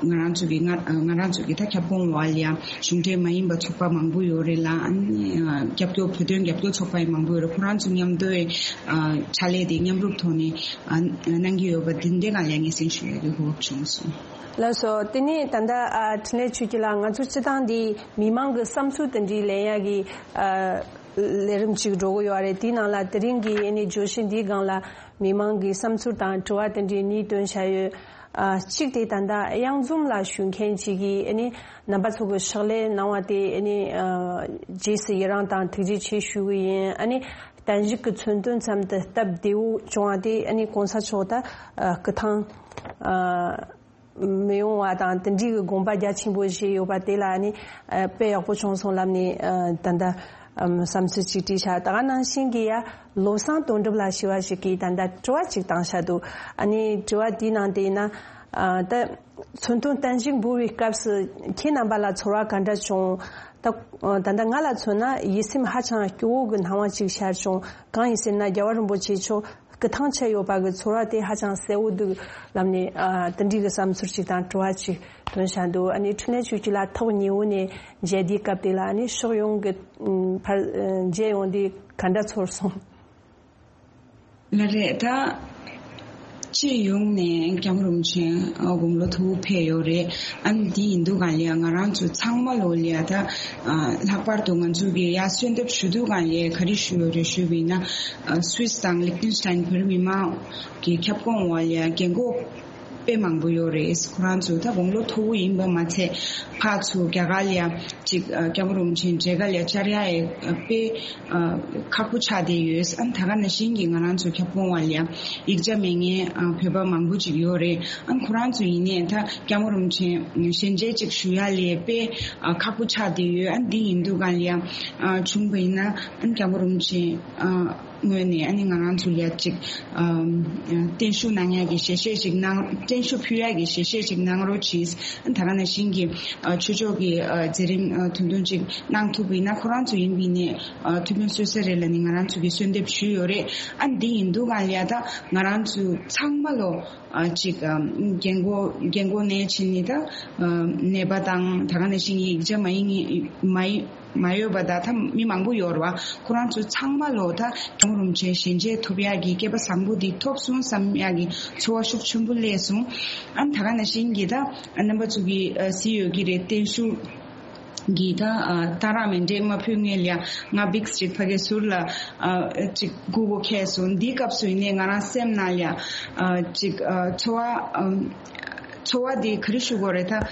ང་རང་ཚོ་གི་ང་ང་རང་ཚོ་གི་ད་ཁྱབ་ཁོངས་འོག་ལ་གཞུང་འབྲེལ་མ་ཡིན་པ་ཚོགས་པ་མང་པོ་ཡོད་རེད་ལ། ཨ་ནི་ཨ་རྒྱབ་སྐྱོར་བོད་དོན་རྒྱབ་སྐྱོར་ཚོགས་པ་ཡང་མང་པོ་ཡོད་རེད། ཁོ་རང་ཚོ་མཉམ་དུ་ཨ་ཕྱག་ལས་དེ་མཉམ་རུབ་ཐོག་ནས་ཨ་གནང་གི་ཡོད་པ་འདི་འདྲའི་སྒང་ལ་སྙན་སེང་ཞུ་ཡག་གི་གོ་སྐབས་བྱུང་སོང་། ལགས་སོ། དེ་ནས་ད་ལྟ་ཨ་འཕྲིན་ལས་ཆོས་སྐྱིད་ལགས། ང་ཚོ་སྤྱི་བཏང་འདི་མི་མང་གི་བསམ་ཚུལ་དེ་འདྲའི་ལེན་ཡག་གི་ཨ་ལས་རིམ་ཅིག་འགྲོ་གི་ཡོད་རེད། དེའི་ནང་ལ་དེ་རིང་གི་ཨ་ནི་བརྗོད་གཞི་འདིའི་སྒང་ལ་མི་མང་གི་བསམ་ཚུལ་དང་དྲི་བ་དེ་འདྲའི་གཉིས་བཏོན་བཞག་ཡོད། ཨ་གཅིག་དེ་ད་ལྟ་གཡང་འཛོམས་ལགས་ཞུ་མཁན་ཅིག་གིས་ཨ་ནི་རྣམ་པ་ཚོ་གི་ཕྱག་ལས་གནང་བ་དེ་ཨ་ནི་ཨ་རྗེས་སུ་ཡི་རང་དང་ཐུགས་རྗེ་ཆེ་ཞུ་གི་ཡིན། ཨ་ནི་བརྟན་བཞུགས་ཀྱི་མཚོན་དོན་ཙམ་དུ་སྟབས་བདེ་བོ་བྱུང་བ་དེ་ཨ་ནི་གོང་ས་མཆོག་ད་ཨ་སྐུ་ཐང་ཨ་མི་ཡོང་བ་དང་དེ་འདྲའི་གི་དགོངས་པ་རྒྱ་ཆེན་པོ་བཞེས་ཡོད་པ་དེ་ལ་ཨ་ནི་ཨ་དཔེ་ཡག་པོ་བྱུང་སོང་ལབ་ནས་ཨ་ད་ལྟ་ཨམ་བསམ་ཚུལ་ཅིག་བྲིས་ཤག་ད་ག་ནང་བཞིན་གྱི་ཡ་བློ་བཟང་དོན་གྲུབ་ལགས་ཞེས་པ་ཞིག་གིས་ད་ལྟ་དྲི་བ་ཅིག་བཏང་ཤག་འདུག་ཨ་ནི་དྲི་བ་དེའི་ནང་དེ་ཡིན་ན་ཨ་ད་མཚོན་དོན་བརྟན་བཞུགས་འབུལ་བའི་སྐབས་སུ་ཁྱེད་རྣམ་པ་ལ་ཚོར་བ་ག་འདྲ་བྱུང་། ད་ད་ལྟ་ང་ལ་མཚོན་ན་ཡིད་སེམས་ཧ་ཅང་སྐྱོ་བོ་གི་སྣང་བ་ཅིག་ཤར་བྱུང་། གང་ཡིན་ཟེར་ན་རྒྱལ་བ་རིན་པོ་ཆེ་མཆོག་སྐུ་ཐང་ཆད་ཡོད་པ་གི་ཚོར་བ་དེ་ཧ་ཅང་གསལ་བོ་འདུག་ལབ་ནས་ཨ་དེ་འདྲའི་གི་བསམ་ཚུལ་ཅིག་དང་དྲི་བ་ཅིག་བཏོན་བཞག་འདུག་ཨ་ནི་འཕྲིན་ལས་ཆོས་སྐྱིད་ལགས་ཐོག་ཉེ་བོ་ནས་མཇལ་དུས་སྐབས་དེ་ལ་ཨ་ནི་ཕྱོགས་ཡོངས་ཀྱི་ཨམ་ཕར་ཨ་མཇལ་ཡོང་དུས་ག་འདྲ་ཚོར་སོང་། ལགས་རེད། ད་སྤྱི་ཡོངས་ནས་སྐྱབས་མགོན་རིན་པོ་ཆེ་དགུང་ལོ་མཐོ་བོ་ཕེབས་ཡོད་རེད། ཨ་ནི་འདི་ཡིན་དུས་སྒང་ལ་ང་རང་ཚོ་ཚང་མ་ལོ་ལ་ད་ཨ་ལྷག་པར་དུ་ང་ཚོ་གི་ཡ་གསོལ་འདེབས་ཞུ་དུས་སྒང་ལ་ག་རེ་ཞུ་ཡོད་རེད་ཞུས་པ་ཡིན་ན། ཨ་སུད་སི་དང་ལིག་ཏེན་སི་ཏན་བོད་རིགས་མི་མང་གི་ཁྱབ་ཁོངས་འོག་ལ་རྒན་གོག་དཔེ་མང་པོ་ཡོད་རེད། ཁོ་རང་ཚོ་ད་དགུང་ལོ་མཐོ་བོ་ཡིན་པ་མ་ཚད་ཕར་ཚུར་རྒྱ་གར་ལ་ཅིག་ཨ་སྐྱབས་མགོན་རིན་པོ་ཆེ་མཇལ་ཁ་ལ་བཅར་ཡ་ཡི་དཔེ་ཨ་ཁག་པོ་ཆགས་བསྡད་ཡོད། ཨ་ད་ག་ནང་བཞིན་གྱི་ང་རང་ཚོ་ཁྱབ་ཁོངས་འོག་ལ་ཡང་ཡིག་ཆ་མེད་མཁན་ཨ་བོད་པ་མང་པོ་ཅིག་ཡོད་རེད། ཨ་ཁོ་རང་ཚོ་ཡིན་ནའི་ད་སྐྱབས་མགོན་རིན་པོ་ཆེ་ཞལ་མཇལ་ཅིག་ཞུ་ཡ་ལ་དཔེ་ཨ་ཁག་པོ་ཆགས་བསྡད་ཡོད། ཨ་འདི་ཡིན་དུས་སྒང་ལ་ཡང་ཨ་བྱུང་བ་ཡིན་ན་ཨ་སྐྱབས་མགོན་རིན་པོ་ཆེ་ཨ་ངོས་ནས་ཨ་ནི་ང་རང་ཚོ་ལ་ཡ་ཅིག་ཨ་བརྟན་བཞུགས་གནང་ཡ་གི་ཞལ་བཞེས་ཅིག་གནང་། བརྟན་བཞུགས་ཕུལ་ཡ་གི་ཞལ་བཞེས་ཅིག་གནང་རོགས་གྱིས། ཨ་ད་ག་ནང་བཞིན་གྱི་ཨ་ཆོས་ཕྱོགས་ཀྱི་ཨ་མཛད་རིམ་ཨ་དུམ་དུམ་ཅིག་གནང་ཐུབ་པ་ཡིན་ན་ཁོ་རང་ཚོ་ཡིན་པ་ཡིན་ནའི་ཨ་ཐུགས་ཕན་གསོས་ས་རེད་ལབ་ནས་ང་རང་ཚོ་གིས་གསོལ་འདེབས་ཞུས་ཡོད་རེད། ཨ་འདི་ཡིན་དུས་སྒང་ལ་ཡ་ད་ང་རང་ཚོ་ཚང་མ་ལོ་ཨ་ཅིག་ཨ་རྒན་གོག་རྒན་གོག་ནས་ཕྱིན་ནས་ད་ཨ་ནད་པ་དང་ད་ག་ནང་བཞིན་ཡིག་ཆ་མ་ཡིན་མ་ཡིན་ མ་ཡོད་པ་དང་ད་མི་མང་པོ་ཡོད་རེད་བ། ཁོ་རང་ཚོ་ཚང་མ་ལོ་ད་སྐྱབས་མགོན་རིན་པོ་ཆེ་ཞལ་མཇལ་ཐོབ་ཡག་གི་སྐལ་པ་བཟང་པོ་འདི་ཐོབ་སོང་བསམ་ཡག་གི་ཚོར་བ་ཤུགས་ཆེན་པོ་སླེབས་སོང་། ཨ་ནི་ད་ག་ནང་བཞིན་གྱི་ད་རྣམ་པ་ཚོ་གི་ཨ་གཟིགས་ཡོད་ཀྱི་རེད། བརྟན་བཞུགས་ཀྱི་ད་ཨ་གཏང་རག་མཎྜལ་མ་ཕུལ་སྔོན་ལ་ཡ་ང་བིགས་ཅིག་ཕ་གིའི་ཟུར་ལ་ཨ་ཅིག་སྒུག་གོ་ཁེལ་སོང་། འདིའི་སྐབས་སུ་ཡིན་ནའི་ང་རང་སེམས་ནང་ལ་ཡ་ཨ་ཅིག་ཨ་ཚོར་བ་ཨ་ཚོར་བ་འདི་ག་རེ་ཞུ་དགོས་རེད་ད།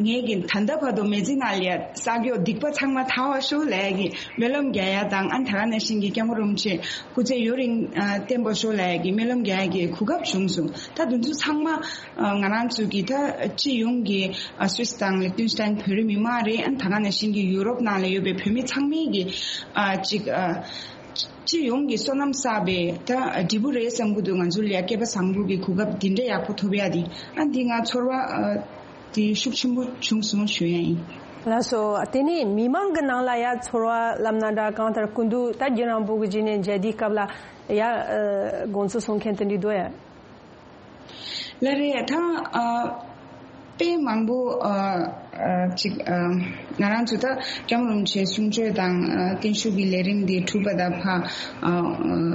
ངས་ཀྱི་ད་ལྟ་བར་དུ་མི་ཚེ་ནང་ལ་ཡ་བསགས་ཡོད་སྡིག་པ་ཚང་མ་དག་པ་ཤོག་ལབ་ཡ་གི་སྨོན་ལམ་རྒྱག་ཡ་དང་། ཨ་ནི་ད་ག་ནང་བཞིན་གྱི་སྐྱབས་མགོན་རིན་པོ་ཆེ་སྐུ་ཚེ་ཡུན་རིང་ཨ་བརྟན་པ་ཤོག་ལབ་ཡ་གི་སྨོན་ལམ་རྒྱག་ཡ་གི་གོ་སྐབས་བྱུང་སོང་། ད་དེ་ཚོ་ཚང་མ་ཨ་ང་རང་ཚོ་གི་ད་སྤྱི་ཡོངས་ཀྱི་ཨ་སུད་སི་དང་ལིག་ཏེན་སི་ཏན་བོད་རིགས་མི་མང་རེད། ཨ་ནི་ད་ག་ནང་བཞིན་གྱི་ཡུ་རོབ་ནང་ལ་ཡོད་པའི་བོད་མི་ཚང་མས་ཀྱི་ཨ་ཅིག་ཨ་སྤྱི་ཡོངས་ཀྱི་བསོད་ནམས་བསགས་པའི་ད་འབྲས་བུ་རེད་བསམ་གྱི་འདུག་ང་ཚོ་ལ་ཡ་སྐལ་པ་བཟང་པོ་གི་གོ་སྐབས་འདི་འདྲ་ཡག་པོ་ཐོབ་ཡ་འདི་ཨ་འདི་ང་ཚོར་བ་ཨ། དེ་ཤུགས་ཆེན་པོ་བྱུང་སོང་ཞུ་ཡ་ཡིན། ལགས་སོ། དེ་ནས་མི་མང་གི་ནང་ལ་ཡ་ཚོར་བ་ལབ་ན་འདྲ། གང་ལྟར་སྐུ་མདུན་ད་རྒྱུན་རིང་པོ་གི་རྗེས་ནས་མཇལ་དུས་སྐབས་ལ་ཡ་ཨ་དགོངས་ཚུལ་གསུང་མཁན་དེ་འདྲ་འདུག་ཡ། ལགས་རེད། ད་ཨ་དཔེ་མང་པོ་ཨ་ཨ་ཅིག་ཨ་ང་རང་ཚོ་ད་སྐྱབས་མགོན་རིན་པོ་ཆེའི་གསུང་ཆོས་དང་ཨ་བརྟན་བཞུགས་ཀྱི་ལས་རིམ་འདི་གྲུབ་པ་དང་ཕ་ཨ་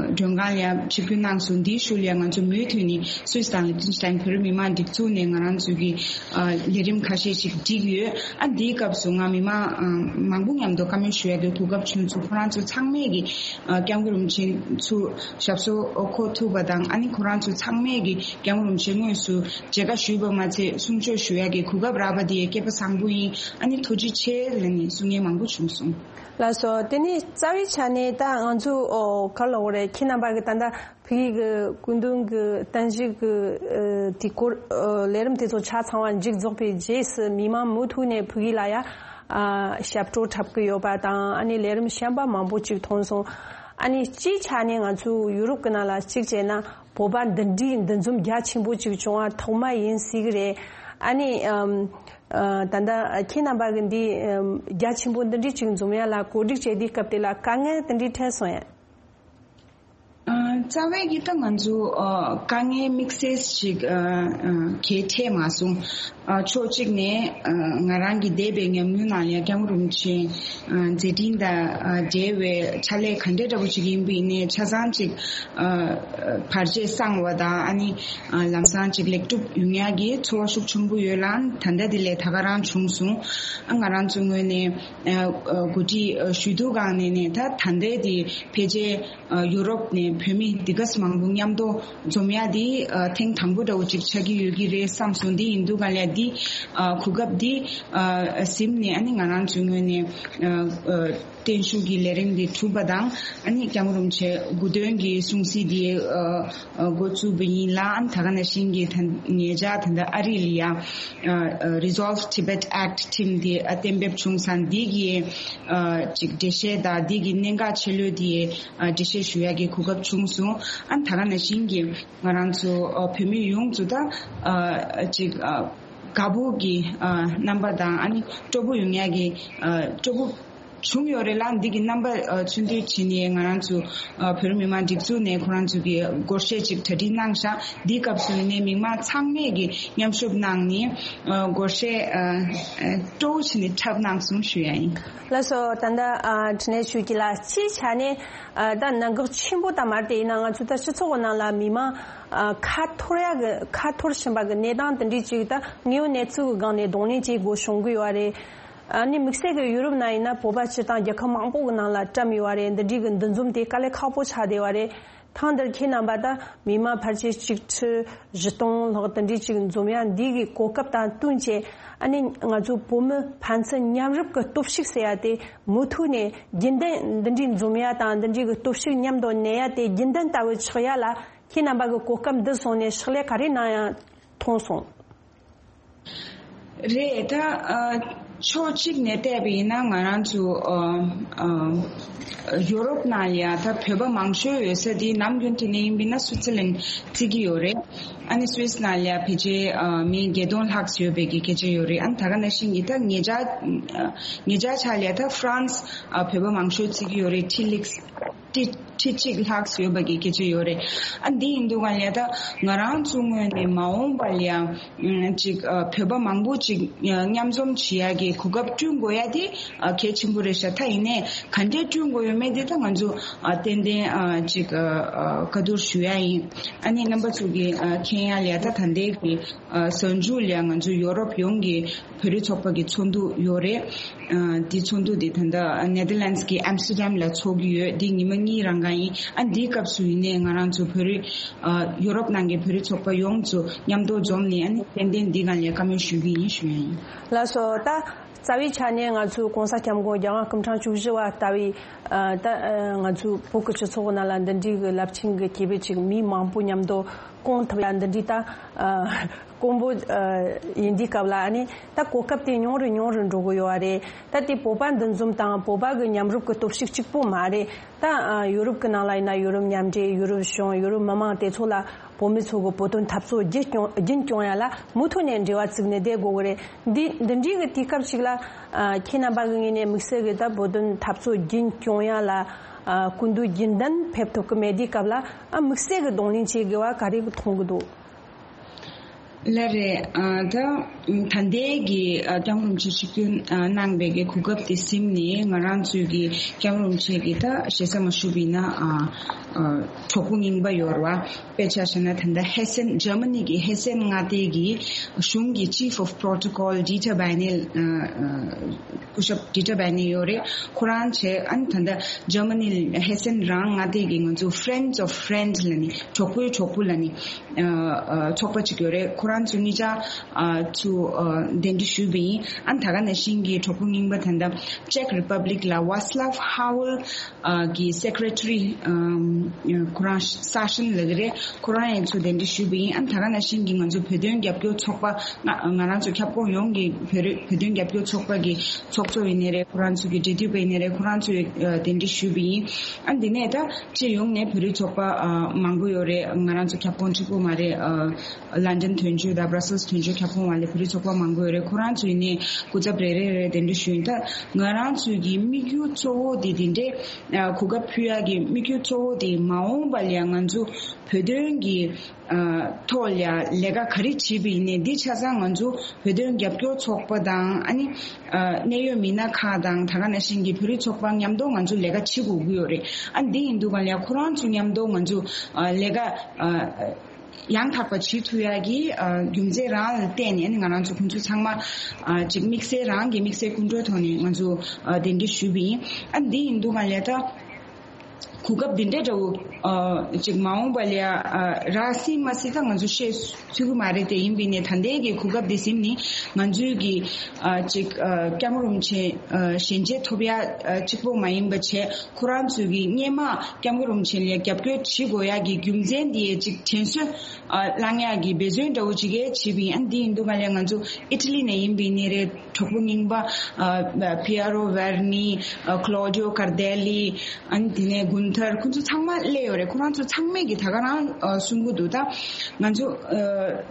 མགྲོན་ཁང་ལ་ཡང་ཆིབས་བསྒྱུར་གནང་སོང་། འདིའི་ཤུལ་ལ་ཡང་ང་ཚོ་མུ་མཐུད་ནས་སུད་སི་དང་ལིག་ཏེན་སི་ཏན་བོད་རིགས་མི་མང་སྒྲིག་འཛུགས་ནས་ང་རང་ཚོའི་གི་ཨ་ལས་རིམ་ཁ་ཤས་ཤིག་བསྒྲིགས་ཡོད། ཨ་འདིའི་སྐབས་སུ་ང་མི་མང་ཨ་མང་པོ་མཉམ་དུ་བཀའ་མོལ་ཞུ་ཡ་གི་གོ་སྐབས་བྱུང་སོང་། ཁོ་རང་ཚོ་ཚང་མས་གི་ཨ་སྐྱབས་མགོན་རིན་པོ་ཆེ་ཚུར་ཞབས་སོར་འཁོད་ཐུབ་པ་དང་། ཨ་ནི་ཁོ་རང་ཚོ་ཚང་མས་གི་སྐྱབས་མགོན་རིན་པོ་ཆེ་དངོས་སུ་མཇལ་ཁ་ཞུས་པ་མ་ཚད་གསུང་ཆོས་ཞུ་ཡ་གི་གོ་སྐབས་རག་པ་དེ་སྐལ་པ་བཟང་པོ་ཡིན། ཨ་ནི་ཐུགས་རྗེ་ཆེ་ལབ་ནས་གསུང་མཁན་མང་པོ་བྱུང་སོང་། ལགས་སོ། དེ་ནས་རྩ་བའི་ཆ་ནས་ད་ང་ཚོ་ཨོ་ག་ལབ་དགོས་རེད། ཁྱེད་རྣམ་པ་གི་ད་ལྟ་ཕ་གི་གི་སྐུ་མདུན་གི་བརྟན་བཞུགས་གི་ཨ་དེ་སྐོར་ཨ་ལས་རིམ་དེ་ཚོ་ཆ་ཚང་བ་མཇུག་རྫོགས་པའི་རྗེས་སུ་མི་མང་མུ་མཐུད་ནས་ཕ་གི་ལ་ཡ་ཨ་ཞབས་བྲོ་འཁྲབ་གི་ཡོད་པ་དང་། ཨ་ནི་ལས་རིམ་གཞན་པ་མང་པོ་ཅིག་མཐོང་སོང་། ཨ་ནི་སྤྱིའི་ཆ་ནས་ང་ཚོ་ཡུ་རོབ་གི་ནང་ལ་གཅིག་བྱས་ན་བོད་པ་འདི་འདྲའི་འདུ་འཛོམས་རྒྱ་ཆེན་པོ་ཅིག་བྱུང་བ་ཐོག་མ་ཡིན་སྲིད་གི་རེད། ཨ་ནི་ཨམ་ཨ་ད་ལྟ་ཁྱེད་རྣམ་པ་གི་འདི་ཨམ་རྒྱ་ཆེན་པོ་འདི་འདྲའི་ཅིག་འཛོམས་ཡ་ལ་གོ་སྒྲིག་བྱས་དུས་སྐབས་དེ་ལ་དཀའ་ངལ་དེ་འདྲའི་འཕྲད་སོང་ཡ། ཨ་རྩ་བའི་གི་ད་ང་ཚོ་ཨ་དཀའ་ངལ་དམིགས་བསལ་ཞིག་ཨ་ཨ་གལ་འཕྲད་མ་སོང་། ཨ་ཕྱོགས་གཅིག་ནས་ཨ་ང་རང་གི་འདས་པའི་ཉམས་མྱོང་ནང་ལ་ཡ་སྐྱབས་མགོན་རིན་པོ་ཆེ་ཨ་མཛད་འཕྲིན་དང་ཨ་འབྲེལ་བའི་ཕྱག་ལས་ག་འདྲ་འདྲ་པོ་ཅིག་ཡིན་པ་ཡིན་ནའི་ཆ་ཚང་ཅིག་ཨ་བར་ཆད་སངས་པ་དང་། ཨ་ནི་ཨ་ལམ་སང་ཅིག་ལེགས་གྲུབ་ཡོང་ཡ་གི་ཚོར་བ་ཤུགས་ཆེན་པོ་ཡོད་ལ། ད་ལྟ་དེ་ལས་ད་ག་རང་བྱུང་སོང་། ཨ་ང་རང་ཚོའི་ངོས་ནས་ཨ་ཨ་གོ་སྒྲིག་ཨ་ཞུ་དུས་སྒང་ནས་ནས་ད་ད་ལྟའི་དེ་ཕལ་ཆེར་ཨ་ཡུ་རོབ་ནས་བོད་མི་འདི་ག་ཙམ་མང་པོ་མཉམ་དུ་འཛོམས་ཡ་འདི་ཨ་ཐེངས་དང་པོ་འདྲ་བོ་ཅིག་ཆགས་ཀྱི་ཡོད་ཀྱི་རེད་བསམ་སོང་། འདི་ཡིན་དུས་ག་ལ་འདི་ཨ་གོ་སྐབས་འདི་ཨ་ཟིན་ནས་ཨ་ནི་ང་རང་ཚོའི་ངོས་ནས་ཨ་ཨ་བརྟན་བཞུགས་ཀྱི་ལས་རིམ་འདི་གྲུབ་པ་དང་། ཨ་ནི་སྐྱབས་མགོན་རིན་པོ་ཆེ་དགུང་སྟོན་གྱི་སྲུང་བརྩི་འདི་ཨ་ཨ་འགོ་བཙུགས་པ་ཡིན་ལ། ཨ་ནི་ད་ག་ནང་བཞིན་གྱི་ད་ཉེ་ཆར་ད་ལྟ་ཨ་རི་ལ་ཡ་ཨ་ཨ་Resolve Tibet Act ཁྲིམས་འདི་ཨ་གཏན་འབེབས་བྱུང་ཙང་། འདི་གི་ཨ་ཅིག་འགྲེལ་བཤད་དང་འདི་གི་གནད་འགག་ཆེ་ལོས་དེ་ཨ་འགྲེལ་བཤད་ཞུ་ཡ་གི་གོ་སྐབས་བྱུང་སོང་། ཨ་ནི་ད་ག་ནང་བཞིན་གྱི་ང་རང་ཚོ་ཨ་བོད་མི་ཡོངས་ཚོ་ད་ཨ་ཅིག་ཨ་དགའ་པོ་གི་ཨ་རྣམ་པ་དང་། ཨ་ནི་སྤྲོ་པོ་ཡོང་ཡ་གི་ཨ་སྤྲོ་པོ་བྱུང་ཡོད་རེད་ལ། འདི་གི་རྣམ་པ་ཨ་མཚོན་དུས་བྱས་ནས་ང་རང་ཚོ་ཨ་བོད་མི་མང་སྒྲིག་འཛུགས་ནས་ཁོ་རང་ཚོ་གི་སྒོར་གཞས་ཅིག་གྲ་སྒྲིག་གནང་ཤག་འདིའི་སྐབས་སུ་ནས་མི་མང་ཚང་མས་གི་མཉམ་ཞུགས་གནང་ནས་ཨ་སྒོར་གཞས་ཨ་ཨ་སྤྲོ་བོ་བྱས་ནས་འཁྲབ་གནང་སོང་ཞུ་ཡ་ཡིན། ལགས་སོ། ད་ལྟ་ཨ་འཕྲིན་ལས་ཆོས་སྐྱིད་ལགས་སྤྱིའི་ཆ་ནས་ཨ་ད་གནད་འགག་ཆེན་པོ་ད་མ་རེད། དེ་ཡིན་ན་ང་ཚོ་ད་སྤྱི་ཚོགས་ཀྱི་ནང་ལ་མི་མང་ཨ་ཁ་འཐོར་ཡ་གི་ཁ་འཐོར་བཞིན་པ་གི་གནས་སྟངས་དེ་འདྲའི་ཅིག་ད་དངོས་ཡོད་གནས་ཚུལ་གྱི་སྒང་ནས་གདོང་ལེན་བྱེད་དགོས་བྱུང་གི་ཡོད་རེད། ཨ་ནི་དམིགས་བསལ་གྱི་ཡུ་རོབ་ནང་ཡིན་ན་བོད་པ་སྤྱི་དང་རྒྱལ་ཁབ་མང་པོ་གི་ནང་ལ་བཀྲམ་ཡོད་པ་རེད། འདི་འདྲའི་གི་འདུ་འཛོམས་དེ་དཀའ་ལས་ཁག་པོ་ཆགས་བསྡད་པ་རེད། ཐེངས་འདིར་ཁྱེད་རྣམ་པ་ད་མི་མང་ཕལ་ཆེར་གཅིག་ཁྲི་བཞི་སྟོང་ལྷག་དེ་འདྲའི་ཅིག་འཛོམས་ཡ་འདི་གི་གོ་སྐབས་དང་བསྟུན་བྱས། ཨ་ནི་ང་ཚོ་བོད་མི་ཕན་ཚུན་མཉམ་རུབ་ཀྱི་སྟོབས་ཤུགས་ཟེར་ཡ་དེ་མུ་མཐུད་ནས་རྒྱུན་ལྡན་འདི་འདྲའི་འཛོམས་ཡ་དང་འདི་འདྲའི་གི་སྟོབས་ཤུགས་མཉམ་དུ་གནས་ཡ་དེ་རྒྱུན་ལྡན་ལྟ་བུ་ཆགས་ཡ་ལ་ཁྱེད་རྣམ་པ་གི་གོ་སྐབས་འདི་བཟུང་ནས་ཕྱག་ལས་ག་རེ་གནང་ཡ་མཐོང་སོང་། རེད། ད་ཨ་ཕྱོགས་གཅིག་ནས་བལྟས་པ་ཡིན་ན་ང་རང་ཚོ་ཨ་ཨ་ཡོ་རོབ་ནང་ལ་ཡ་ད་བོད་པ་མང་ཤོས་ཡོད་ས་དེ་ནམ་རྒྱུན་དེ་ནས་ཡིན་པ་ཡིན་ན་སུའི་ཙི་ལན་བརྩི་གི་ཡོད་རེད། ཨ་ནི་སུད་སི་ནང་ལ་ཡ་ཕལ་ཆེར་ཨ་མི་བརྒྱད་སྟོང་ལྷག་ཡོད་པའི་གི་སྐད་ཆ་ཡོད་རེད། ཨ་ནི་ད་ག་ནང་བཞིན་གྱི་ད་ཉེ་ཆར་ཉེ་ཆར་ཆ་ལ་ཡ་ད་ཧྥ་རན་སི་ཨ་བོད་པ་མང་ཤོས་བརྩི་གི་ཡོད་རེད། ཁྲི་ལིགས། ཁྲི་ཁྲི་གཅིག་ལྷག་ཡོད་པ་གི་སྐད་ཆ་ཡོད་རེད། ཨ་འདི་ཡིན་དུས་ག་ལ་ད་ང་རང་ཚོ་ངོས་ནས་མ་འོངས་པ་ལ་ཡང་ཅིག་བོད་པ་མང་པོ་ཅིག་མཉམ་འཛོམས་བྱེད་ཡ་གི་གོ་སྐབས་བསྐྲུན་དགོས་ཡ་དེ་གལ་ཆེན་པོ་རེད་ཤག་ད་ཡིན་ནའི་ག་འདྲས་བསྐྲུན་དགོས་ཡོད་མེད་དེ་ད་ང་ཚོ་ཏན་ཏན་ཅིག་བཀའ་བསྡུར་ཞུ་ཡ་ཡིན། ཨ་ནི་རྣམ་པ་ཚོ་གི་མཁྱེན་ཡ་ལ་ད་ད་ལྟའི་གི་གཟའ་མཇུག་ལ་ང་ཚོ་ཡོ་རོབ་ཡོངས་ཀྱི་བོད་རིགས་ཚོགས་པ་གི་ཚོགས་འདུ་ཡོད་རེད། ཨ་འདི་ཚོགས་འདུ་འདི་ད་ལྟ་ནེ་དར་ལེན་ཌི་གི་ཨམ་སི་ཊར་ཌམ་ལ་ཚོགས་ཀྱི་ཡོད། འདི་ཉི་མ་གཉིས་རང་ག་ཡིན། ཨ་འདིའི་སྐབས་སུ་ཡིན་ནའི་ང་རང་ཚོ་བོད་རིགས་ཨ་ཡོ་རོབ་ནང་གི་བོད་རིགས་ཚོགས་པ་ཡོངས་ཚོ་མཉམ་དུ་འཛོམས་ནས་ཨ་ནི་ཏན་ཏན་འདི་སྒང་ལ་བཀའ་མོལ་ཞུ་གི་ཡིན་ཞུ་ཡ་ཡིན། ལགས་སོ། ད་རྩ་བའི་ཆ་ནས་ང་ཚོའི་༸གོང་ས་༸སྐྱབས་མགོན་རྒྱལ་དབང་སྐུ་ཕྲེང་བཅུ་བཞི་པ་ལྟ་བུའི་ཨ་ད་ཨ་ང་ཚོའི་བོད་ཀྱི་སྤྱི་ཚོགས་ནང་ལ་འདི་འདྲའི་གི་རླབས་ཆེན་གྱི་སྐྱེས་བུ་ཅིག་མི་མང་པོ་མཉམ་དུ་བསྐོང་ཐུབ་ཡ་འདི་འདྲའི་ད་ཨ་དཀོན་པོ་ཨ་ཡིན་དུས་སྐབས་ལ་ཨ་ནི་ད་གོ་སྐབས་དེ་ཉུང་རུ་ཉུང་རུ་འགྲོ་གི་ཡོད་པ་རེད། ད་དེ་བོད་པ་འདུ་འཛོམས་དང་བོད་པ་གི་མཉམ་རུབ་ཀྱི་སྟོབས་ཤུགས་གཅིག་པོ་མ་རེད། ད་ཨ་ཡུ་རོབ་ཀྱི་ནང་ལ་ཡིན་ན་ཡུ་རོབ་མཉམ་འབྲེལ་ཡུ་རོབ་གཞུང་ཡུ་རོབ་མི་མང་དེ་ཚོ་ལ་བོད་མི་ཚོ་གི་བོད་དོན་འཐབ་རྩོད་རྒྱུན་སྐྱོང་རྒྱུན་སྐྱོང་ཡ་ལ་མུ་མཐུད་ནས་འབྲེལ་བ་བཙུགས་ནས་བསྡད་དགོས་ཀྱི་རེད། འདི་འདི་འདྲའི་གི་དུས་སྐབས་ཤིག་ལ་ཨ་ཁྱེད་རྣམ་པ་གི་ངོས་ནས་དམིགས་བསལ་གི་ད་བོད་དོན་འཐབ་རྩོད་རྒྱུན་སྐྱོང་ཡ་ལ་ཨ་སྐུ་མདུན་རྒྱུན་ལྡན་ཕེབས་ཐུབ་ཀྱི་མེད་དུས་སྐབས་ལ་ཨ་དམིགས་བསལ་གི་གདོང་ལེན་བྱེད་དགོས་པ་ག་རེ་གི་མཐོང་གི་འདུག་ལགས་རེད། ཨ་ད་ད་ལྟའི་གི་ཨ་སྐྱབས་མགོན་རིན་པོ་ཆེ་ཆིབས་བསྒྱུར་ཨ་གནང་བའི་གི་གོ་སྐབས་དེ་ཟིན་ནས་ང་རང་ཚོའི་གི་སྐྱབས་མགོན་རིན་པོ་ཆེ་གི་ད་ཞེ་ས་མ་ཞུ་བ་ཡིན་ན་ཨ་ཨ་གྲོགས་པོ་རྙིང་པ་ཡོད་རེད་བ། དཔེ་ཆ་བཞག་ན་ད་ལྟ་ཧེ་སེན་ཇར་མ་ནི་གི་ཧེ་སེན་མངའ་སྡེ་གི་གཞུང་གི་Chief of Protocol Dieter Beinel ཨ་ཨ་སྐུ་ཞབས་Dieter Beinel ཡོད་རེད། ཁོ་རང་བྱས་ཨ་ནི་ད་ལྟ་ཇར་མ་ནི་ཧེ་སེན་རང་མངའ་སྡེ་གི་ང་ཚོ་Friends of Friends ལབ་ནི་གྲོགས་པོའི་གྲོགས་པོ་ལབ་ནི། ཚོགས་པ་གཅིག་ཡོད་རེད། ཁོ་རང་ཚོ་གཉིས་ཆ་ཚུར་གདན་འདྲེན་ཞུས་པ་ཡིན། ཨ་ད་ག་ནང་བཞིན་གྱི་གྲོགས་པོ་རྙིང་པ་ད་ལྟ་Czech Republic ལ་Václav Havel གི་Secretary ཁོ་རང་Sasha ལབ་ཀྱི་རེད། ཁོ་རང་ཡང་ཚུར་གདན་འདྲེན་ཞུས་པ་ཡིན། ཨ་ད་ག་ནང་བཞིན་གྱི་ང་ཚོ་བོད་དོན་རྒྱབ་སྐྱོར་ཚོགས་པ་ང་ང་རང་ཚོ་ཁྱབ་ཁོངས་ཡོངས་ཀྱི་བོད་རིགས་བོད་དོན་རྒྱབ་སྐྱོར་ཚོགས་པ་གི་ཚོགས་གཙོ་ཡིན་ནའི་རེད། ཁོ་རང་ཚོ་གི་འབྲེལ་མཐུད་པ་ཡིན་ནའི་རེད། ཁོ་རང་ཚོས་གདན་འདྲེན་ཞུས་པ་ཡིན། ཨ་འདི་ནས་ད་སྤྱི་ཡོངས་ནས་བོད་རིགས་ཚོགས་པ་ཨ་མང་པོ་ཡོད་རེད། ང་རང་ཚོ་ཁྱབ་ཁོངས་གཅིག་པུ་མ་རེད། ཨ་ལན་ཌན་དོན་གཅོད་དང་Brussels དོན་གཅོད་ཁྱབ་ཁོངས་བ་ལས་བོད་རིགས་ཚོགས་པ་མང་པོ་ཡོད་རེད། ཁོ་རང་ཚོ་ཡིན་ནའི་སྐུ་ཚབ་རེ་རེ་རེ་གདན་འདྲེན་ཞུས་ཡིན། ད་ང་རང་ཚོའི་གི་དམིགས་ཡུལ་གཙོ་བོ་དེ་དེ་འདྲས་ཨ་གོ་སྐབས་ཕུལ་ཡག་གི་དམིགས་ཡུལ་གཙོ་བོ་དེ་མ་འོངས་པ་ལ་ཡང་ང་ཚོ་བོད་དོན་གི་ཨ་ཐོག་ལ་ཡང་ལས་ཀ་ག་རེ་བྱེད་པ་ཡིན་ནའི་འདི་ཆ་ཚང་ང་ཚོ་བོད་དོན་རྒྱབ་སྐྱོར་ཚོགས་པ་དང་ཨ་ནི་ཨ་གནད་ཡོད་མི་སྣ་ཁག་དང་ད་ག་ནང་བཞིན་གྱི་བོད་རིགས་ཚོགས་པ་མཉམ་དུ་ང་ཚོ་ལས་ཀ་བྱེད་དགོས་ཀྱི་ཡོད་རེད། ཨ་འདི་ཡིན་དུས་ག་ལ་ཡང་ཁོ་རང་ཚོ་མཉམ་དུ་ང་ཚོ་ཨ་ལས་ཀ་ཨ་ཡང་དག་པ་བྱེད་ཐུབ་ཡག་གི་ཨ་རྒྱུ་མཚན་རང་ལ་བརྟེན་ནས་ཨ་ནི་ང་རང་ཚོ་ཁོང་ཚོ་ཚང་མ་ཨ་ཅིག་དམིགས་བསལ་རང་གི་དམིགས་བསལ་ཀུན་སྤྲོད་ཐོག་ནས་ང་ཚོ་ཨ་གདན་འདྲེན་ཞུས་པ་ཡིན། ཨ་འདི་ཡིན་དུས་ག་ལ་ཡང་ད། གོ་སྐབས་འདི་འདྲ་འདྲ་བོ་ཨ་ཅིག་མ་འོངས་པ་ལ་ཨ་རག་སྲིད་མ་སྲིད་ད་ང་ཚོ་ཤེས་ཚུལ་གི་མ་རེད། དེ་ཡིན་པའི་ནས་ད་ལྟའི་གི་གོ་སྐབས་འདི་ཟིན་ནི་ང་ཚོའི་གི་ཨ་ཅིག་ཨ་སྐྱབས་མགོན་རིན་པོ་ཆེ་ཨ་ཞལ་མཇལ་ཐོབ་ཡ་ཨ་གཅིག་པོ་མ་ཡིན་པ་བྱས་ཁོ་རང་ཚོའི་གི་སྔས་མ་སྐྱབས་མགོན་རིན་པོ་ཆེ་ལ་རྒྱབ་སྐྱོར་བྱེད་དགོས་ཡ་གི་རྒྱུ་མཚན་འདི་ཡ་ཅིག་དྲན་གསོ་ཨ་བསླང་ཡག་གི་འབད་བརྩོན་འདྲ་བོ་ཅིག་ཡ་བྱེད་པ་ཡིན། ཨ་འདི་ཡིན་དུས་ག་ལ་ང་ཚོ་ཨི་ཊ་ལི་ནས་ཡིན་པའི་ནས་རེད། གྲོགས་པོ་རྙིང་པ་ཨ་Piero Verni ཨ་Claudio Cardelli ཨ་ནི་དེ་ནས་གུན་ཐར་ཁོང་ཚོ་ཚང་མ་སླེབས་ཡོད་རེད། ཁོ་རང་ཚོ་ཚང་མས་ཀྱི་ད་ག་རང་ཨ་གསུང་གི་འདུག་ད་ང་ཚོ་ཨ་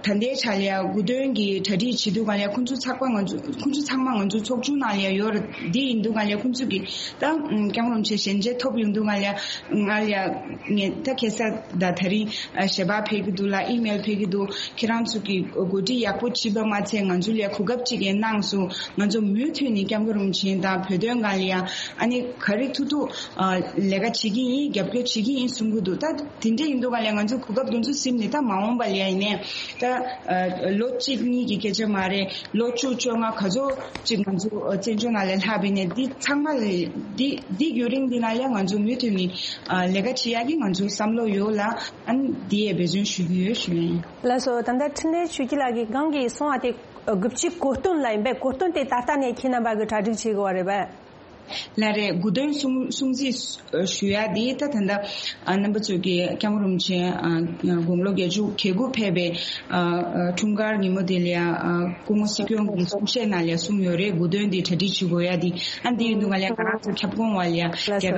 ད་ལྟའི་ཆ་ལ་ཡ་དགུ་སྟོན་གྱི་གྲ་སྒྲིག་བྱེད་དུས་ག་ལ་ཡ་ཁོང་ཚོ་ཚགས་པ་ང་ཚོ་ཁོང་ཚོ་ཚང་མ་ང་ཚོ་ཚོགས་ཆུང་ནང་ལ་ཡ་ཡོད་རེད། འདི་ཡིན་དུས་ག་ལ་ཡ་ཁོང་ཚོ་གི་ད་སྐྱབས་མགོན་རིན་པོ་ཆེ་ཞལ་མཇལ་ཐོབ་ཡོང་དུས་ག་ལ་ཡ་ང་ལ་ཡ་ངས་ད་ཁ་སང་ད་དེ་རིང་ཨ་ཞལ་པར་ཕེབས་ཀྱི་འདུག་ལ་ཨི་མེལ་ཕེབས་ཀྱི་འདུག་ཁྱེད་རང་ཚོ་གི་གོ་སྒྲིག་ཡག་པོ་བྱས་པ་མ་ཚད་ང་ཚོ་ལ་གོ་སྐབས་ཅིག་ཡང་གནང་སོང་། ང་ཚོ་མུ་མཐུད་ནས་སྐྱབས་མགོན་རིན་པོ་ཆེ་དང་བོད་དོན་སྒང་ལ་ཡང་ཨ་ནི་ག་རེ་ཐུབ་ཐུབ་ཨ་ལས་ཀ་བྱེད་ཀྱི་ཡིན། རྒྱབ་སྐྱོར་བྱེད་ཀྱི་ཡིན་གསུང་གི་འདུག་ད་དེ་འདྲ་ཡིན་དུས་ག་ལ་ང་ཚོ་གོ་སྐབས་དེ་ཚོ་ཟིན་ནས་ད་མ་འོངས་པ་ལ་ཡང་ཡིན་ནའི་ད་ཨ་ལོ་གཅིག་གཉིས་ཀྱི་སྐད་ཆ་མ་རེད། ལོ་བཅུ་བཅོ་ལྔ་ག་ཚོད་ཅིག་ང་ཚོ་བཙན་བྱོལ་ནང་ལ་ལྷག་པའི་ནས་འདི་ཚང་མ་ལ་འདི་འདི་རྒྱུན་རིང་འདི་ནང་ལ་ང་ཚོ་མུ་མཐུད་ནས་ཨ་ལས་ཀ་བྱེད་ཡག་གི་ང་ཚོ་བསམ་བློ་ཡོད་ལ། ཨ་ནི་འདི་ཡས་འབད་བརྩོན་ཞུ་གི་ཡོད་ཞུ་ཡ་ཡིན། ལགས་སོ། ད་ལྟ་འཕྲིན་ལས་ཆོས་སྐྱིད་ལགས་ཀྱིས་གང་གི་གསུང་བ་དེ་དགུ་བཅུའི་གོ་སྟོན་ལ་ཡིན་པས། གོ་སྟོན་དེ་ད་ལྟ་ནས་ཁྱེད་རྣམ་པ་གི་གྲ་སྒྲིག་བྱེད་དགོས་པ་རེད་པས། ལགས་རེད། དགུ་སྟོན་སྲུང་སྲུང་བརྩི་ཞུ་ཡ་དེ་ད་ད་ལྟ་ཨ་རྣམ་པ་ཚོས་ཀྱི་སྐྱབས་མགོན་རིན་པོ་ཆེ་ཨ་དགུང་ལོ་བརྒྱད་ཅུ་གྱ་དགུ་ཕེབས་པའི་ཨ་ཨ་འཁྲུངས་སྐར་ཉིན་མོ་དེ་ལ་ཨ་སྐུ་ངོ་སྲིད་སྐྱོང་གི་གསུང་བཤད་ནང་ལ་གསུངས་ཡོད་རེད། དགུ་སྟོན་དེ་གྲ་སྒྲིག་བྱེད་དགོས་ཡ་དེ་ཨ་འདི་ཡིན་དུས་ག་ལ་ང་རང་ཚོ་ཁྱབ་ཁོངས་བ་ལ་ཡ་ལགས་སོ། རྒྱལ་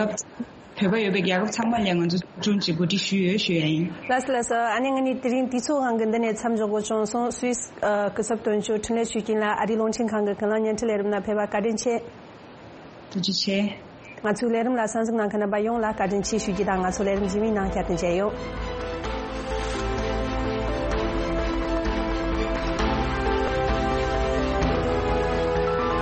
ཁབ། བོད་པ་ཡོད་པའི་རྒྱལ་ཁབ་ཚང་མ་ལ་ང་ཚོ་ཚོགས་ཆུང་གཅིག་གོ་སྒྲིག་ཞུས་ཡོད་ཞུ་ཡ་ཡིན། ལགས་སོ་ལགས་སོ། ཨ་ནི་ང་ནི་དེ་རིང་དུས་ཚོད་ཧང་གི་འདི་ནས་མཚམས་འཇོག་དགོས་བྱུང་སོང་། སུད་སི་ཨ་སྐུ་ཚབ་དོན་གཅོད་འཕྲིན་ལས་ཆོས་སྐྱིད་ལགས་ཨ་རིའི་རླུང་འཕྲིན་ཁང་གི་ཁ་ལག་བརྙན་འཕྲིན་ལས་རིམ་ནང་ཕེབས་པ་བཀའ་དྲིན་ཆེ། ཐུགས་རྗེ་ཆེ། ང་ཚོའི་ལས་རིམ་ལ་གསན་གཟིགས་གནང་མཁན་རྣམ་པ་ཡོངས་ལ་བཀའ་དྲིན་ཆེ་ཞུ་རྒྱུ་དང་། ང་ཚོ་ལས་རིམ་རྗེས་མའི་ནང་བསྐྱར་དུ་མཇལ་ཡོང་།